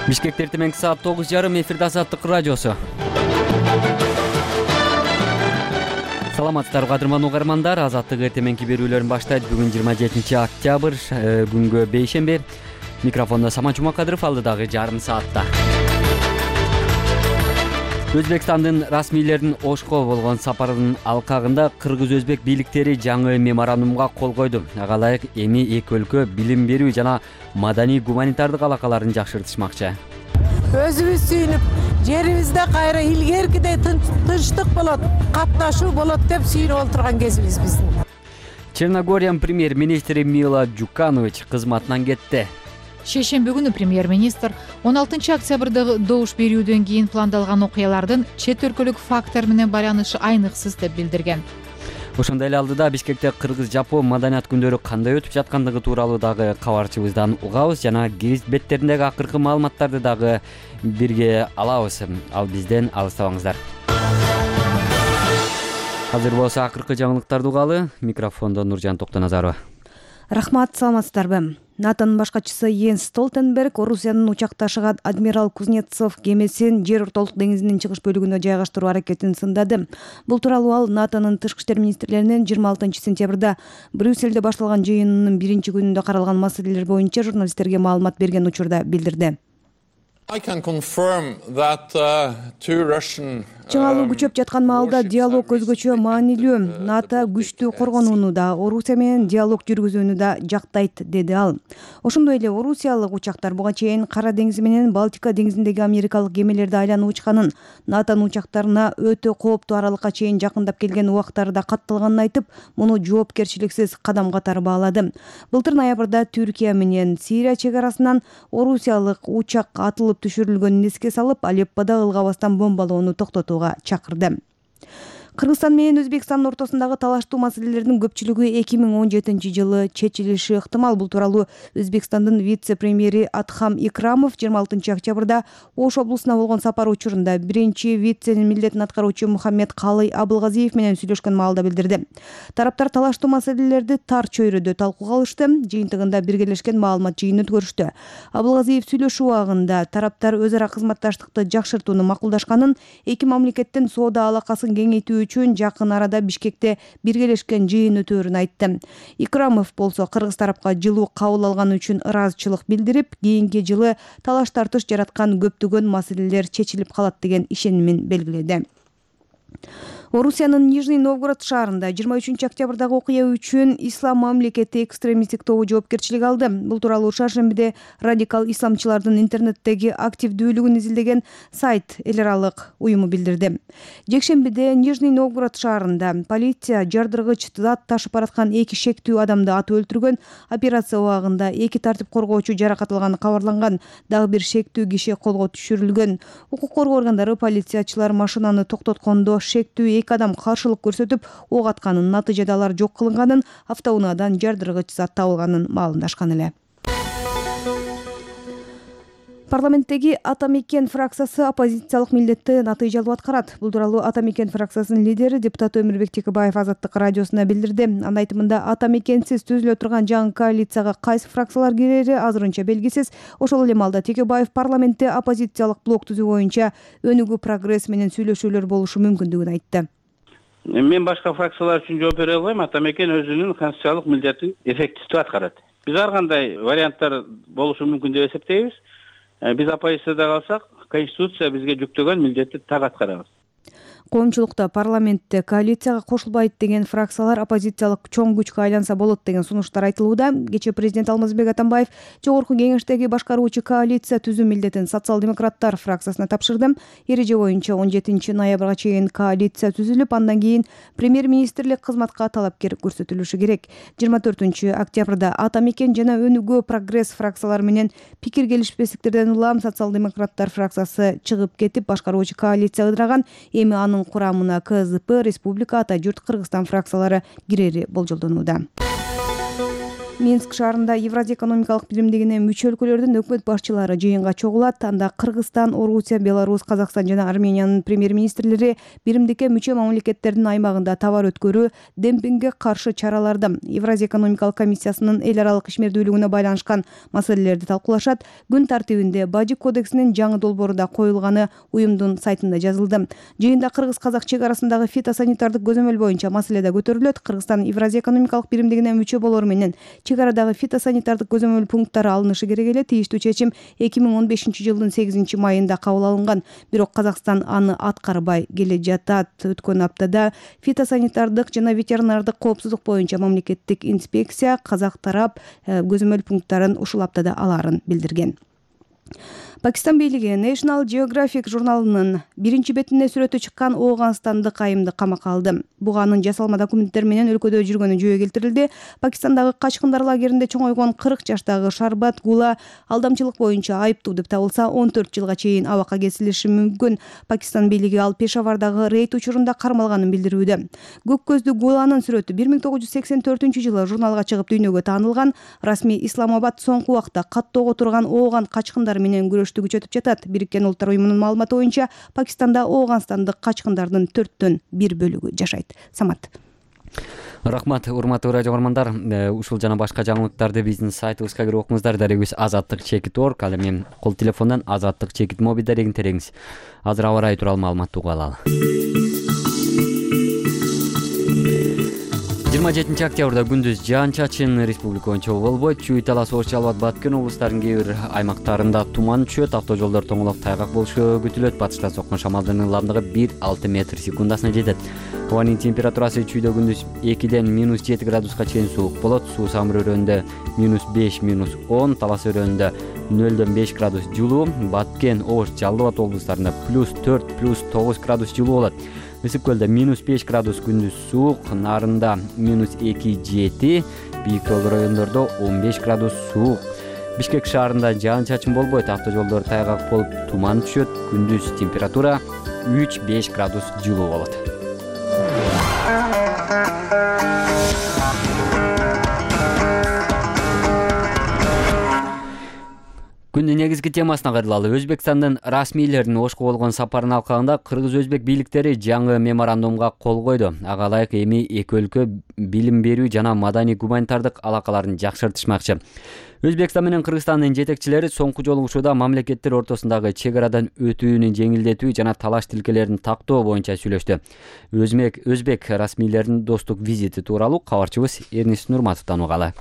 Бишкекте эртеменки саат 9:30 эфирде Азаттык радиосу. Саламатсыздарбы кадырман угармандар, Азаттык эртеменки берүүлөрүн баштайт. Бүгүн 27 октябрь, күнгө бейшемби. Микрофондо Самат Жумакадыров, алдыдагы жарым саатта. Өзбекстандын расмийлеринин Ошко болгон сапарынын алкагында кыргыз-өзбек бийликтери жаңы меморандумга кол койду. Ага ылайык эми эки өлкө билим берүү жана маданий гуманитардык алакаларын жакшыртышмакчы. Өзүбүз сүйүнүп, жерибизде кайра илгеркидей тынчтык болот, катнашуу болот деп сүйүнүп отурган кезибиз биздин. Черногориянын премьер-министри Мила Джуканович кызматынан кетти. Шейшемби күнү премьер-министр 16 октябрда добуш берүүдөн кийин пландалган окуялардын чет өлкөлүк фактор менен байланышы айныксыз деп билдирген. Ошондой эле алдыда Бишкекте кыргыз-жапон маданият күндөрү кандай өтүп жаткандыгы тууралуу дагы кабарчыбыздан угабыз жана гезит беттериндеги акыркы маалыматтарды дагы бирге алабыз. Ал бизден алыстабаңыздар. Азыр болсо акыркы жаңылыктарды угалы. Микрофондо Нуржан Токтоназарова. Рахмат, саламатсыздарбы. НАТОнун башкачысы Йенс Столтенберг Орусиянын учакташыган адмирал Кузнецов кемесин Жер ортолук деңизинин чыгыш бөлүгүнө жайгаштыруу аракетин сындады. Бул тууралуу ал НАТОнун тышкы иштер министрлеринин 26 сентябрда Брюссельде башталган жыйынынын биринчи күнүндө каралган маселелер боюнча журналисттерге маалымат берген учурда билдирди. Чыңалуу күчөп жаткан маалда диалог өзгөчө маанилүү. НАТО күчтүү коргонууну да, Орусия менен диалог жүргүзүүнү да жактайт, деди ал. Ошондой эле орусиялык учактар буга чейин Кара деңизи менен Балтика деңизиндеги америкалык кемелерди айланып учканын, NATOнун учактарына өтө кооптуу аралыкка чейин жакындап келген убактары да катталганын айтып, муну жоопкерчиликсиз кадам катары баалады. Былтыр ноябрда Түркия менен Сирия чек арасынан орусиялык учак атылып түшүрүлгөнүн эске салып, Алеппода ылгабастан бомбалоону токтотууга чакырды. Кыргызстан менен Өзбекстандын ортосундагы талаштуу маселелердин көпчүлүгү 2017 жылы чечилиши ыктымал. Бул тууралуу Өзбекстандын вице-премьери Адхам Икрамов 26 октябрда Ош облусуна болгон сапар учурунда биринчи виценин милдетин аткаруучу Мухаммед Калый Абылгазиев менен сүйлөшкөн маалда билдирди. Тараптар талаштуу маселелерди тар чөйрөдө талкууга алышты. Жыйынтыгында биргелешкен маалымат жыйын өткөрүштү. Абылгазиев сүйлөшүү убагында тараптар өз ара кызматташтыкты жакшыртууну макулдашканын, эки мамлекеттин соода алакасын кеңейтүү үчүн жакын арада Бишкекте биргелешкен жыйын өтөөрүн айтты. Икрамов болсо кыргыз тарапка жылуу кабыл алганы үчүн ыраазычылык билдирип, кийинки жылы талаш-тартыш жараткан көптөгөн маселелер чечилип калат деген ишенимин белгиледи. Орусиянын Нижний Новгород шаарында 23 октябрдагы окуя үчүн Ислам мамлекети экстремисттик тобу жоопкерчилик алды. Бул тууралуу шаршембиде радикал исламчылардын интернеттеги активдүүлүгүн изилдеген сайт эл аралык уюму билдирди. Жекшембиде Нижний Новгород шаарында полиция жардыргыч зат ташып бараткан эки шектүү адамды атып өлтүргөн. Операция убагында эки тартип коргоочу жаракат алганы кабарланган. Дагы бир шектүү киши колго түшүрүлгөн. Укук коргоо органдары полициячылар машинаны токтоткондо шектүү эки адам каршылык көрсөтүп ок атканын, натыйжада алар жок кылынганын, автоунаадан жардыргыч зат табылганын маалымдашкан эле. Парламенттеги Ата Мекен фракциясы оппозициялык милдетти натыйжалуу аткарат. Бул тууралуу Ата Мекен фракциясынын лидери депутат Өмүрбек Текебаев Азаттык радиосуна билдирди. Анын айтымында Ата Мекенсиз түзүлө турган жаңы коалицияга кайсы фракциялар кирери азырынча белгисиз. Ошол эле маалда Текебаев парламентте оппозициялык блок түзүү боюнча өнүгүү прогресс менен сүйлөшүүлөр болушу мүмкүндүгүн айтты. Мен башка фракциялар үчүн жооп бере албайм. Ата Мекен өзүнүн конституциялык милдетин эффективдүү аткарат. Биз ар кандай варианттар болушу мүмкүн деп эсептейбиз. Биз оппозицияда калсак, конституция бизге жүктөгөн милдетти так аткарабыз. Коомчулукта парламентте коалицияга кошулбайт деген фракциялар оппозициялык чоң күчкө айланса болот деген сунуштар айтылууда. Кечээ президент Алмазбек Атамбаев жогорку кеңештеги башкаруучу коалиция түзүү милдетин социал-демократтар фракциясына тапшырды. Эреже боюнча 17 ноябрга чейин коалиция түзүлүп, андан кийин премьер-министрлик кызматка талапкер көрсөтүлүшү керек. 24 октябрда Ата Мекен жана Өнүгүү прогресс фракциялары менен пикир келишпестиктерден улам социал-демократтар фракциясы чыгып кетип, башкаруучу коалиция ыдыраган. Эми анын курамына КЗП, Республика, Ата журт, Кыргызстан фракциялары кирери болжолдонууда. Минск шаарында Евразия экономикалык биримдигине мүчө өлкөлөрдүн өкмөт башчылары жыйынга чогулат. Анда Кыргызстан, Орусия, Беларусь, Казакстан жана Армениянын премьер-министрлери биримдикке мүчө мамлекеттердин аймагында товар өткөрүү, демпингге каршы чараларды, Евразия экономикалык комиссиясынын эл аралык ишмердүүлүгүнө байланышкан маселелерди талкуулашат. Күн тартибинде Бажы кодексинин жаңы долбоору да коюлганы уюмдун сайтында жазылды. Жыйында кыргыз-казак чек арасындагы фитосанитардык көзөмөл боюнча маселе да көтөрүлөт. Кыргызстан Евразия экономикалык биримдигине мүчө болору менен чек арадагы фитосанитардык көзөмөл пункттары алынышы керек эле. Тийиштүү чечим 2015-жылдын 8-майында кабыл алынган. Бирок Казакстан аны аткарбай келе жатат. Өткөн аптада фитосанитардык жана ветеринардык коопсуздук боюнча мамлекеттик инспекция казак тарап көзөмөл пункттарын ушул аптада алаарын билдирген. Пакистан бийлиги National Geographic журналынын биринчи бетине сүрөтү чыккан Ооганстандык айымды камакка алды. Буга анын жасалма документтер менен өлкөдө жүргөнү жөө келтирилди. Пакистандагы качкындар лагеринде чоңойгон 40 жаштагы Шарбат Гула алдамчылык боюнча айыптуу деп табылса, 14 жылга чейин абакка кесилиши мүмкүн. Пакистан бийлиги ал Пешавардагы рейд учурунда кармалганын билдирүүдө. Көк көздүү Гуланын сүрөтү 1984-жылы журналга чыгып дүйнөгө таанылган. Расмий Исламабад соңку убакта каттоого турган Ооган качкындар менен күрөштү күчөтүп жатат. Бириккен Улуттар уюмунун маалыматы боюнча Пакистанда Ооганстандык качкындардын 1/4 жашайт. Самат. Рахмат, урматтуу радио көрөрмандар. Ушул жана башка жаңылыктарды биздин сайтыбызга кирип окуңуздар. Дарегибиз azatlyk.org. Ал эми кол телефондон Азаттык чекит моби дарегин тереңиз. Азыр аба ырайы тууралуу маалыматты угуп алалы. 27-октябрда күндүз жаан-чачын республика боюнча болбойт. Чүй, Талас, Ош, Жалал абад, Баткен облустарынын кээ бир аймактарында туман түшөт. Автожолдор тоңолоп тайгак болушу күтүлөт. Батыштан соккон шамалдын ылдамдыгы 1-6 метр секундасына жетет. Абанын температурасы чүйдө күндүз 2-ден -7 градуска чейин суук болот. Суу Самыр өрөөнүндө -5, -10, Талас өрөөнүндө 0-ден 5 градус жылуу, Баткен, Ош, Жалал абад облустарында +4, +9 градус жылуу болот. Ысык көлдө -5 градус күндүз суук, Нарында -2-7, бийик тоо райондордо 15 градус суук. Бишкек шаарында жаан-чачын болбойт, автожолдор тайгак болуп туман түшөт. Күндүз температура 3-5 градус жылуу болот. Күндүн негизги темасына кайрылалы. Өзбекстандын расмийлеринин Ошко болгон сапарынын алкагында кыргыз-өзбек бийликтери жаңы меморандумга кол койду. Ага ылайык эми эки өлкө билим берүү жана маданий-гуманитардык алакаларын жакшыртышмакчы. Өзбекстан менен Кыргызстандын жетекчилери соңку жолугушууда мамлекеттер ортосундагы чек арадан өтүүнү жеңилдетүү жана талаш тилкелерин тактоо боюнча сүйлөштү. Өзбек расмийлеринин достук визити тууралуу кабарчыбыз Эрнис Нурматовдон угалы.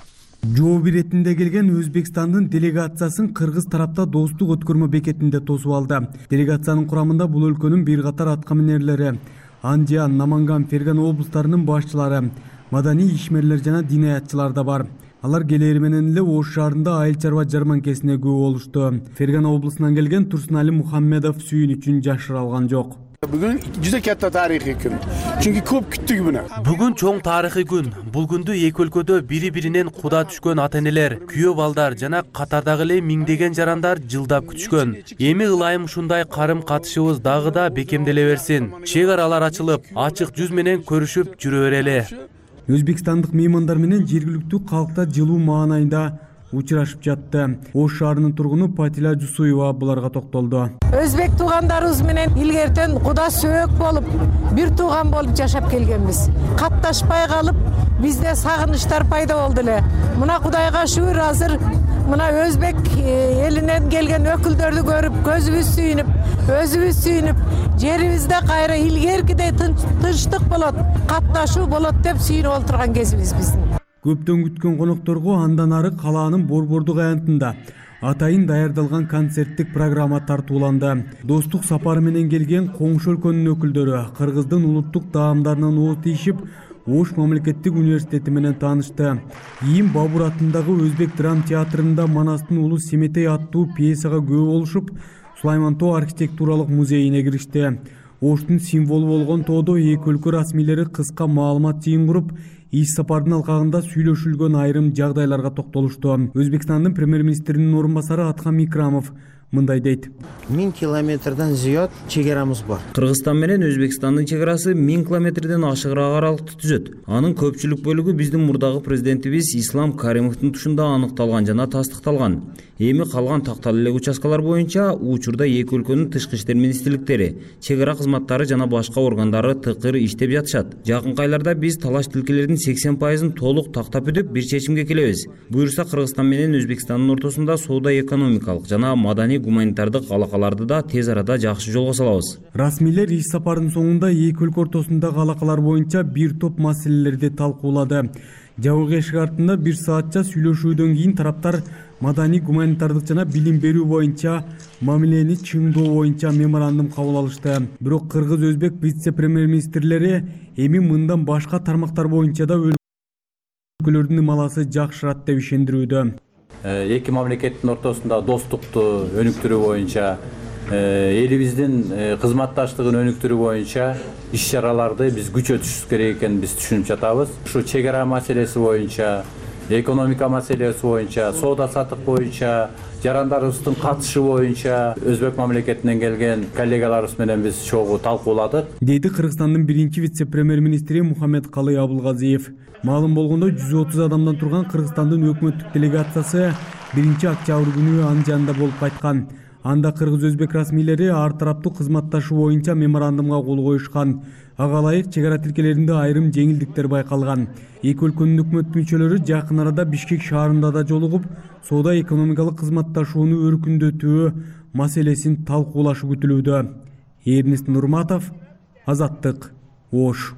Жооп иретинде келген Өзбекстандын делегациясын кыргыз тарапта достук өткөрмө бекетинде тосуп алды. Делегациянын курамында бул өлкөнүн бир катар аткаминерлери, Андиан, Наманган, Ферган облустарынын башчылары, маданий ишмерлер жана дин аятчылар да бар. Алар келери менен эле Ош шаарында айыл чарба жарманкесине күбө болушту. Ферган облусунан келген Турсунали Мухаммедов сүйүнүчүн жашыра алган жок. Бүгүн juda katta тарыхый күн. Чүнки көп күттүк буну. Бүгүн чоң тарыхый күн. Бул күндү эки өлкөдө бири-биринен куда түшкөн ата-энелер, күйөө балдар жана катардагы эле миңдеген жарандар жылдап күтүшкөн. Эми ылайым ушундай карым-катышыбыз дагы да бекемделе берсин. Чек аралар ачылып, ачык жүз менен көрүшүп жүрө берели. Өзбекстандык меймандар менен жергиликтүү калкта жылуу маанайында учурашып жатты. Ош шаарынын тургуну Патила Жусуева буларга токтолду. Өзбек туугандарыбыз менен илгертен куда сөөк болуп, бир тууган болуп жашап келгенбиз. Катташпай калып, бизде сагынычтар пайда болду эле. Мына Кудайга шүгүр, азыр мына өзбек элинен келген өкүлдөрдү көрүп, көзүбүз сүйүнүп, өзүбүз сүйүнүп, жерибизде кайра илгеркидей тынчтык болот, катташуу болот деп сүйүнүп отурган кезибиз биздин. Көптөн күткөн конокторго андан ары калаанын борбордук аянтында атайын даярдалган концерттик программа тартууланды. Достук сапары менен келген коңшу өлкөнүн өкүлдөрү Кыргыздын улуттук таамдарынан ооз тийишип, Ош мамлекеттик университети менен таанышты. Ийим Бабур атындагы Өзбек драм театрында Манастын улуу Семетей аттуу пьесага күбө болушуп, Сулайман тоо архитектуралык музейине киришти. Оштун символу болгон тоодо эки өлкө расмийлери кыска маалымат жыйын куруп, иш сапардын алкагында сүйлөшүлгөн айрым жагдайларга токтолушту. Өзбекстандын премьер-министринин орун басары Атхам Икрамов мындай дейт. 1000 километрден зыяд чегарамыз бар. Кыргызстан менен Өзбекстандын чегарасы 1000 километрден ашыгыраак аралыкты түзөт. Анын көпчүлүк бөлүгү биздин мурдагы президентибиз Ислам Каримовдун тушунда аныкталган жана тастыкталган. Эми калган такталуу эле участкалар боюнча учурда эки өлкөнүн тышкы иштер министрликтери, чегара кызматтары жана башка органдары тыкыр иштеп жатышат. Жакынкы айларда биз талаш тилкелердин 80%-ын толук тактап бүтүп бир чечимге келебиз. Буюрса Кыргызстан менен Өзбекстандын ортосунда соода экономикалык жана маданий гуманитардык алакаларды да тез арада жакшы жолго салабыз. Расмийлер иш сапарынын соңунда эки өлкө ортосундагы алакалар боюнча бир топ маселелерди талкуулады. Жабык эшик артында 1 саатча сүйлөшүүдөн кийин тараптар маданий гуманитардык жана билим берүү боюнча мамилени чыңдоо боюнча меморандум кабыл алышты. Бирок кыргыз-өзбек вице-премьер-министрлери эми мындан башка тармактар боюнча да өлкөлөрдүн ымаласы жакшырат деп ишендирүүдө. Эки мамлекеттин ортосунда достукту өнүктүрүү боюнча, элибиздин кызматташтыгын өнүктүрүү боюнча иш чараларды биз күчөтүшүбүз керек экенин биз түшүнүп жатабыз. Ушу чегара маселеси боюнча, экономика маселеси боюнча, соода саттык боюнча, жарандарыбыздын катышы боюнча Өзбек мамлекетинен келген коллегаларыбыз менен биз чогуу талкууладык, деди Кыргызстандын биринчи вице-премьер-министри Мухаммедкалый Абылгазиев. Маалым болгондой 130 адамдан турган Кыргызстандын өкмөттүк делегациясы 1-октябрь күнү Анжанда болуп кайткан. Анда кыргыз-өзбек расмийлери ар тараптуу кызматташуу боюнча меморандумга кол коюшкан. Ага ылайык чегара тилкелеринде айрым жеңилдиктер байкалган. Эки өлкөнүн өкмөт мүчөлөрү жакын арада Бишкек шаарында да жолугуп, соода экономикалык кызматташууну өркүндөтүү маселесин талкуулашы күтүлүүдө. Эрнест Нурматов, Азаттык, Ош.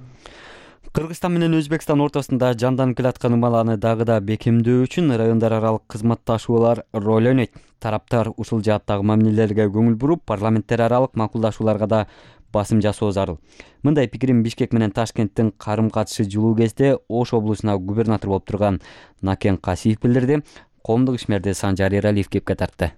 Кыргызстан менен Өзбекстан ортосунда жанданып келаткан ымаланы дагы да бекемдөө үчүн райондар аралык кызматташуулар роль ойнойт. Тараптар ушул жааттагы мамилелерге көңүл буруп, парламенттер аралык макулдашууларга да басым жасоо зарыл. Мындай пикирин Бишкек менен Ташкенттин карым-катышы жылуу кезде Ош облусуна губернатор болуп турган Накен Касиев билдирди. Коомдук ишмерди Санжар Эралиев кепке тартты.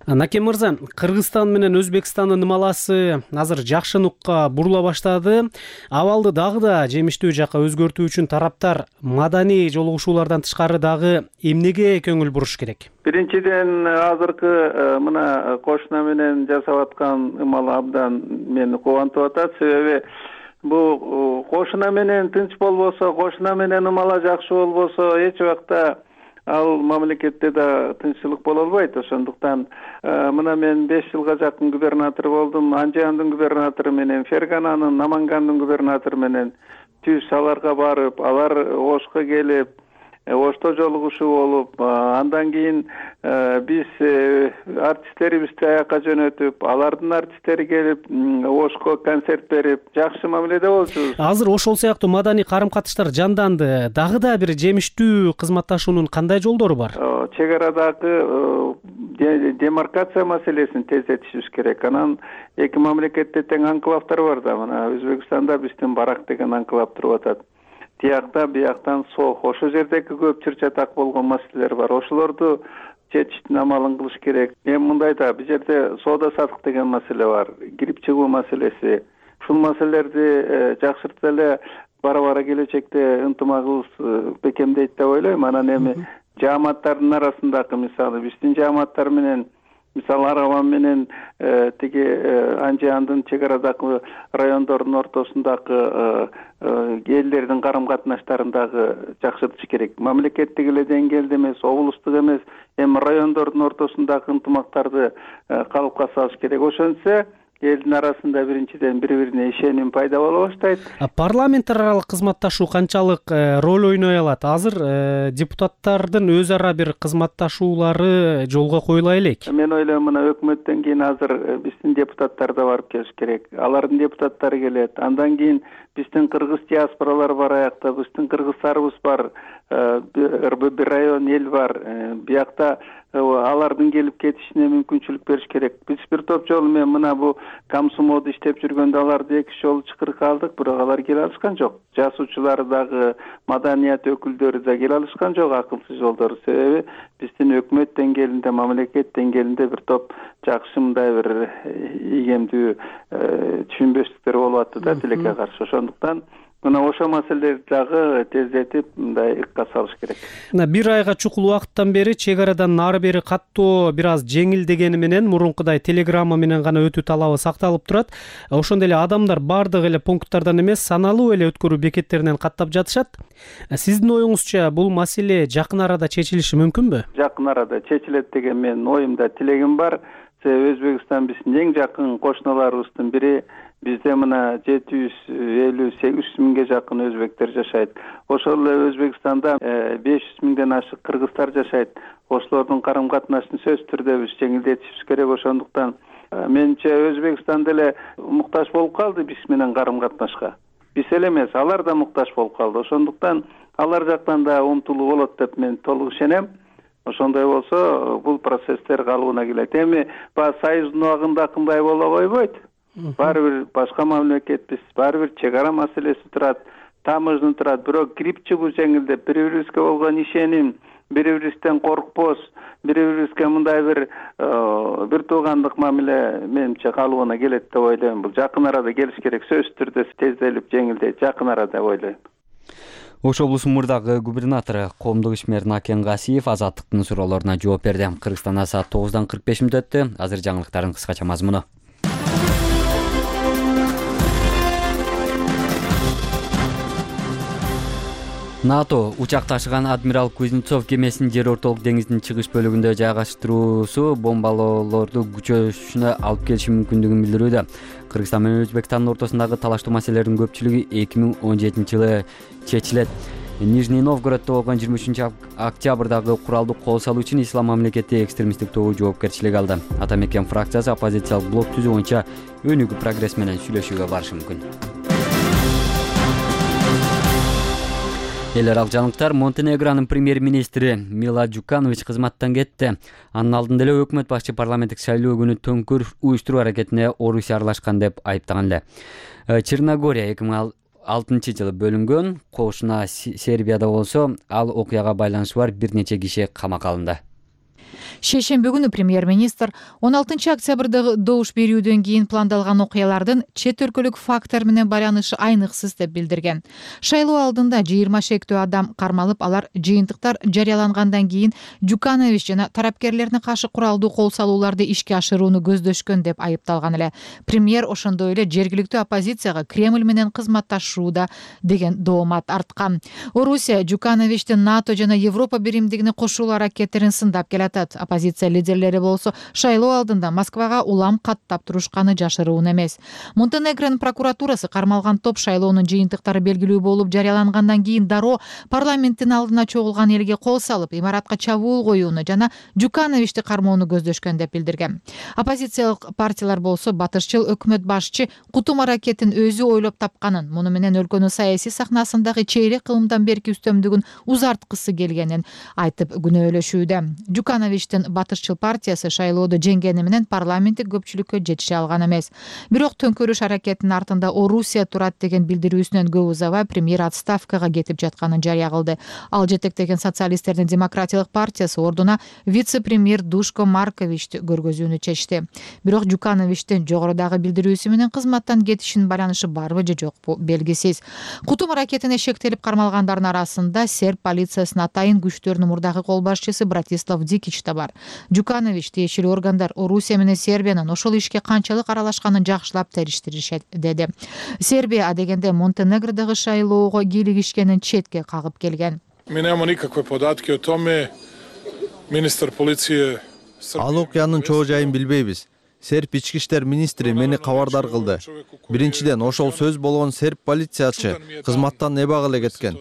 Накен мырза, Кыргызстан менен Өзбекстандын ымаласы азыр жакшы нукка бурула баштады. Абалды дагы да жемиштүү жакка өзгөртүү үчүн тараптар маданий жолугушуулардан тышкары дагы эмнеге көңүл буруш керек? Биринчиден, азыркы мына кошуна менен жасап аткан ымал абдан мени кубантып атат. Себеби бул кошуна менен тынч болбосо, кошуна менен ымала жакшы болбосо, эч убакта ал мамлекетте да тынччылык боло албайт. Ошондуктан мына мен 5 жылга жакын губернатор болдум. Анжандын губернатору менен, Фергананын, Намангандын губернатору менен түз аларга барып, алар Ошко келип, Ошто жолугушуу болуп, андан кийин биз артисттерибизди аякка жөнөтүп, алардын артисттери келип, Ошко концерт берип, жакшы мамиледе болчубуз. Азыр ошол сыяктуу маданий карым-катыштар жанданды. Дагы да бир жемиштүү кызматташуунун кандай жолдору бар? Чегарадагы демаркация маселесин тездетишибиз керек. Анан эки мамлекетте тең анклавдар бар да. Мына Өзбекстанда биздин Барак деген анклав туруп атат. Тиякта, бияктан Сох. Ошол жердеги көп чыр-чатак болгон маселелер бар. Ошолорду чечиштин амалын кылыш керек. Эми мындай да, бул жерде соода саттык деген маселе бар, кирип чыгуу маселеси. Ушул маселелерди жакшыртып эле бара-бара келечекте ынтымагыбыз бекемдейт деп ойлойм. Анан эми жааматтардын арасындагы, мисалы, биздин жааматтар менен, мисалы Араган менен тиги Анжандын чегарадагы райондордун ортосундагы элдердин карым-катнаштарын дагы жакшыртыш керек. Мамлекеттик эле деңгээлде эмес, облустук эмес, эми райондордун ортосундагы ынтымактарды калыпка салыш керек. Ошентсе элдин арасында биринчиден бири-бирине ишеним пайда боло баштайт. Парламенттер аралык кызматташуу канчалык роль ойной алат? Азыр депутаттардын өз ара бир кызматташуулары жолго коюла элек. Мен ойлойм, мына өкмөттөн кийин азыр биздин депутаттар да барып келиш керек. Алардын депутаттары келет. Андан кийин биздин кыргыз диаспоралар бар аякта, биздин кыргыздарыбыз бар, бир район эл бар. Биякта алардын келип кетишине мүмкүнчүлүк бериш керек. Биз бир топ жолу мен мына бу Камсумоодо иштеп жүргөндө аларды 2 жолу чакырып алдык, бирок алар келе алышкан жок. Жазуучулар дагы, маданият өкүлдөрү да келе алышкан жок акылсыз жолдор. Себеби биздин өкмөт деңгээлинде, мамлекет деңгээлинде бир топ жакшы мындай бир ийгемдүү түшүнбөстүктөр болуп атты да тилекке каршы. Ошондуктан мына ошол маселелерди дагы тездетип мындай ыкка салыш керек. Бир айга чукул убакыттан бери чек арадан нары бери каттоо бир аз жеңилдегени менен мурункудай телеграмма менен гана өтүү талабы сакталып турат. Ошондой эле адамдар бардык эле пункттардан эмес, саналуу эле өткөрүү бекеттеринен каттап жатышат. Сиздин оюңузча бул маселе жакын арада чечилиши мүмкүнбү? Жакын арада чечилет деген менин оюмда, тилегим бар. Өзбекстан биздин эң жакын кошуналарыбыздын бири. Бизде мына 758 миңге жакын өзбектер жашайт. Ошол эле Өзбекстанда 500 миңден ашык кыргыздар жашайт. Ошолордун карым катнашын сөзсүз түрдө биз жеңилдетишибиз керек. Ошондуктан менимче Өзбекстан деле муктаж болуп калды биз менен карым катнашка. Биз эле эмес, алар да муктаж болуп калды. Ошондуктан алар жактан да умтулуу болот деп мен толук ишенем. Ошондой болсо бул процесстер калыбына келет. Эми баягы союздун убагында кандай боло койбойт. Баары бир башка мамлекетпиз, баары бир чек ара маселеси турат, таможня турат. Бирок кирип чыгуу жеңилдеп, бири-бирибизге болгон ишеним, бири-бирибизден коркпос, бири-бирибизге мындай бир туугандык мамиле менимче калыбына келет деп ойлойм. Бул жакын арада келиш керек, сөзсүз түрдө тезделип жеңилдейт жакын арада деп ойлойм. Ош облусунун мурдагы губернатору коомдук ишмер Накен Гасиев Азаттыктын суроолоруна жооп берди. Кыргызстанда саат 9:45 өттү. Азыр жаңылыктардын кыскача мазмуну. НАТО учак ташыган адмирал Кузнецов кемесин жер ортолук деңиздин чыгыш бөлүгүндө жайгаштыруусу бомбалоолорду күчөшүнө алып келиши мүмкүндүгүн билдирүүдө. Кыргызстан менен Өзбекстандын ортосундагы талаштуу маселелердин көпчүлүгү 2017-жылы чечилет. Нижний Новгороддо болгон 23-октябрдагы куралдуу кол салуу үчүн Ислам мамлекети экстремисттик тобу жоопкерчилик алды. Ата мекен фракциясы оппозициялык блок түзүү боюнча өнүгүү прогресс менен сүйлөшүүгө барышы мүмкүн. Эл аралык жаңылыктар. Монтенегронун премьер-министри Мила Джуканович кызматтан кетти. Анын алдында эле өкмөт башчы парламенттик шайлоо күнү төңкүр уюштуруу аракетине Орусия аралашкан деп айыптаган эле. Черногория 2006-жылы бөлүнгөн, кошуна Сербияда болсо ал окуяга байланышы бар бир нече киши камакка алынды. Шейшембе күнү премьер-министр 16-октябрдагы добуш берүүдөн кийин пландалган окуялардын чет өлкөлүк фактор менен байланышы айныксыз деп билдирген. Шайлоо алдында 20 шектүү адам кармалып, алар жыйынтыктар жарыялангандан кийин Джуканович жана тарапкерлерине каршы куралдуу кол салууларды ишке ашырууну көздөшкөн деп айыпталган эле. Премьер ошондой эле жергиликтүү оппозицияга Кремль менен кызматташууда деген доомат арткан. Орусия Джукановичтин НАТО жана Европа биримдигине кошулуу аракеттерин сындап келатат. Оппозиция лидерлери болсо шайлоо алдында Москвага улам каттап турушканы жашыруун эмес. Монтенегронун прокуратурасы кармалган топ шайлоонун жыйынтыктары белгилүү болуп жарыялангандан кийин дароо парламенттин алдына чогулган элге кол салып, имаратка чабуул коюуну жана Джукановичти кармоону көздөшкөн деп билдирген. Оппозициялык партиялар болсо батышчыл өкмөт башчы кутум аракетин өзү ойлоп тапканын, муну менен өлкөнүн саясий сахнасындагы чейрек кылымдан берки үстөмдүгүн узарткысы келгенин айтып күнөөлөшүүдө. Джукановичтин батышчыл партиясы шайлоодо жеңгени менен парламенттик көпчүлүккө жетише алган эмес. Бирок төңкөрүш аракетинин артында Орусия турат деген билдирүүсүнөн көп узабай премьер отставкага кетип жатканын жарыя кылды. Ал жетектеген социалисттердин демократиялык партиясы ордуна вице-премьер Душко Марковичти көргөзүүнү чечти. Бирок Джукановичтин жогорудагы билдирүүсү менен кызматтан кетишинин байланышы барбы же жокпу белгисиз. Кутум аракетине шектелип кармалгандардын арасында серб полициясынын атайын күчтөрүнүн мурдагы кол башчысы Братислав Дикич да бар. Джуканович тиешелүү органдар Орусия менен Сербиянын ошол ишке канчалык аралашканын жакшылап териштиришет деди. Сербия адегенде Монтенегродогу шайлоого кийлигишкенин четке кагып келген. Mi nemamo nikakve podatke o tome. Ministar policije Ал окуянын чоо жайын билбейбиз. Серб ички иштер министри мени кабардар кылды. Биринчиден, ошол сөз болгон серб полициячы кызматтан эбак эле кеткен.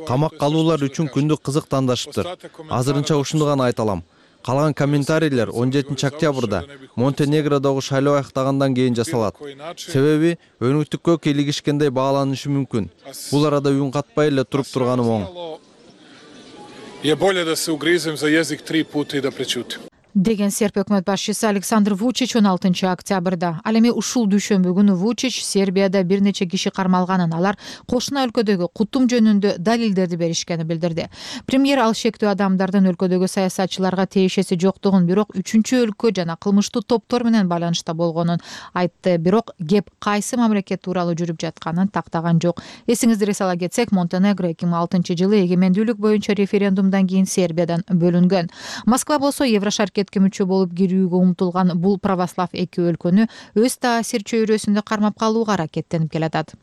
Камакка алуулар үчүн күндү кызык тандашыптыр. Азырынча ушуну гана айта алам. Калган комментарийлер 17-октябрда Монтенегродогу шайлоо аяктагандан кийин жасалат. Себеби өнүктүккө кийлигишкендей бааланышы мүмкүн. Бул арада үн катпай эле туруп турганым оң. je bolje da se ugrizem za jezik 3 puta i da prećutim. деген серб өкмөт башчысы Александр Вучич 16 октябрда. Ал эми ушул дүйшөмбү күнү Вучич Сербияда бир нече киши кармалганын, алар кошуна өлкөдөгү кутум жөнүндө далилдерди беришкенин билдирди. Премьер ал шектүү адамдардын өлкөдөгү саясатчыларга тиешеси жоктугун, бирок үчүнчү өлкө жана кылмыштуу топтор менен байланышта болгонун айтты. Бирок кеп кайсы мамлекет тууралуу жүрүп жатканын тактаган жок. Эсиңиздерге сала кетсек, Монтенегро 2006 жылы эгемендүүлүк боюнча референдумдан кийин Сербиядан бөлүнгөн. Москва болсо Еврошаркетке мүчө болуп кирүүгө умтулган бул православ эки өлкөнү өз таасир чөйрөсүндө кармап калууга аракеттенип келатат.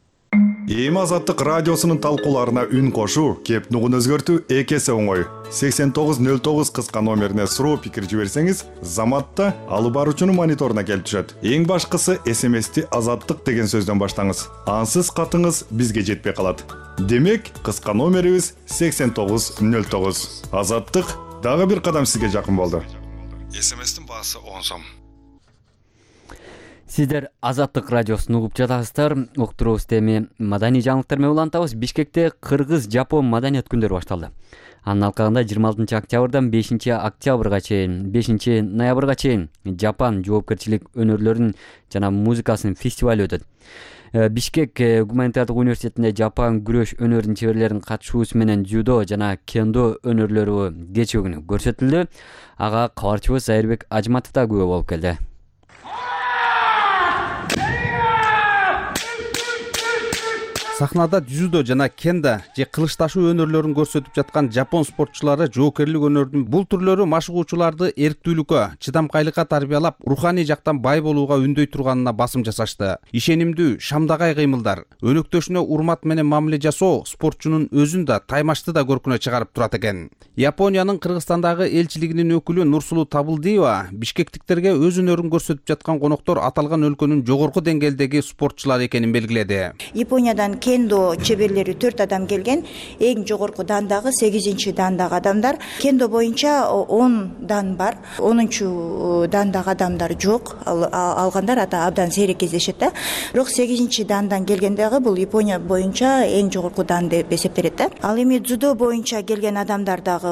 Эми Азаттык радиосунун талкууларына үн кошуу, кеп нугун өзгөртүү эки эсе оңой. 8909 кыска номерине суроо пикир жиберсеңиз, Заматта алып баруучунун мониторуна келип түшөт. Эң башкысы СМСти Азаттык деген сөздөн баштаңыз. Ансыз катыңыз бизге жетпей калат. Демек, кыска номерибиз 8909. Азаттык дагы бир кадам сизге жакын болду. СМСтин баасы 10 сом. Сиздер Азаттык радиосун угуп жатасыздар. Уктуруубузду эми маданий жаңылыктар менен улантабыз. Бишкекте Кыргыз-Жапон маданият күндөрү башталды. Анын алкагында 26 октябрдан 5 октябрга чейин, 5 ноябрга чейин Жапон жоопкерчилик өнөрлөрүнүн жана музыкасынын фестивалы өтөт. Бишкек гуманитардык университетинде Жапон күрөш өнөрүнүн чеберлеринин катышуусу менен дзюдо жана кендо өнөрлөрү кечээ күнү көрсөтүлдү. Ага кабарчыбыз Айырбек Ажматов да күбө болуп келди. Сахнада дзюдо жана кенда же кылычташуу өнөрлөрүн көрсөтүп жаткан жапон спортчулары жоокерлик өнөрдүн бул түрлөрү машыгуучуларды эрктүүлүккө, чыдамкайлыкка тарбиялап, руханий жактан бай болууга үндөй турганына басым жасашты. Ишенимдүү, шамдагай кыймылдар, өнөктөшүнө урмат менен мамиле жасоо спортчунун өзүн да, таймашты да көркүнө чыгарып турат экен. Япониянын Кыргызстандагы элчилигинин өкүлү Нурсулуу Табылдиева бишкектиктерге өз өнөрүн көрсөтүп жаткан коноктор аталган өлкөнүн жогорку деңгээлдеги спортчулары экенин белгиледи. Япониядан кендо чеберлери 4 адам келген, эң жогорку дандагы 8 дандагы адамдар. Кендо боюнча 10 дан бар, 10 дандагы адамдар жок. Алгандар абдан сейрек кездешет да. Бирок 8 дандан келгендеги бул Япония боюнча эң жогорку дан деп эсептелет да. Ал эми дзюдо боюнча келген адамдар дагы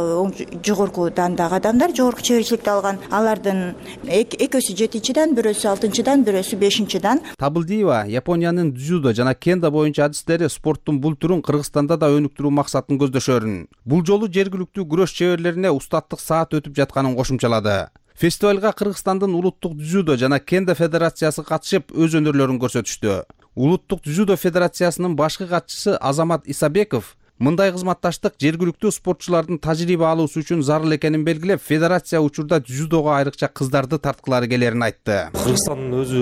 жогорку дандагы адамдар, жогорку чеберчиликти алган. Алардын экөөсү 7-дан, бирөөсү 6-дан, бирөөсү 5-дан. Табылдиева Япониянын дзюдо жана кендо боюнча спорттун бул түрүн Кыргызстанда да өнүктүрүү максатын көздөшөрүн. Бул жолу жергиликтүү күрөш чеберлерине устаттык саат өтүп жатканын кошумчалады. Фестивалга Кыргызстандын улуттук дзюдо жана кендо федерациясы катышып, өз өнөрлөрүн көрсөтүштү. Улуттук дзюдо федерациясынын башкы катчысы Азамат Исабеков мындай кызматташтык жергиликтүү спортчулардын тажрыйба алуусу үчүн зарыл экенин белгилеп, федерация учурда дзюдого айрыкча кыздарды тарткылары келерин айтты. Кыргызстандын өзү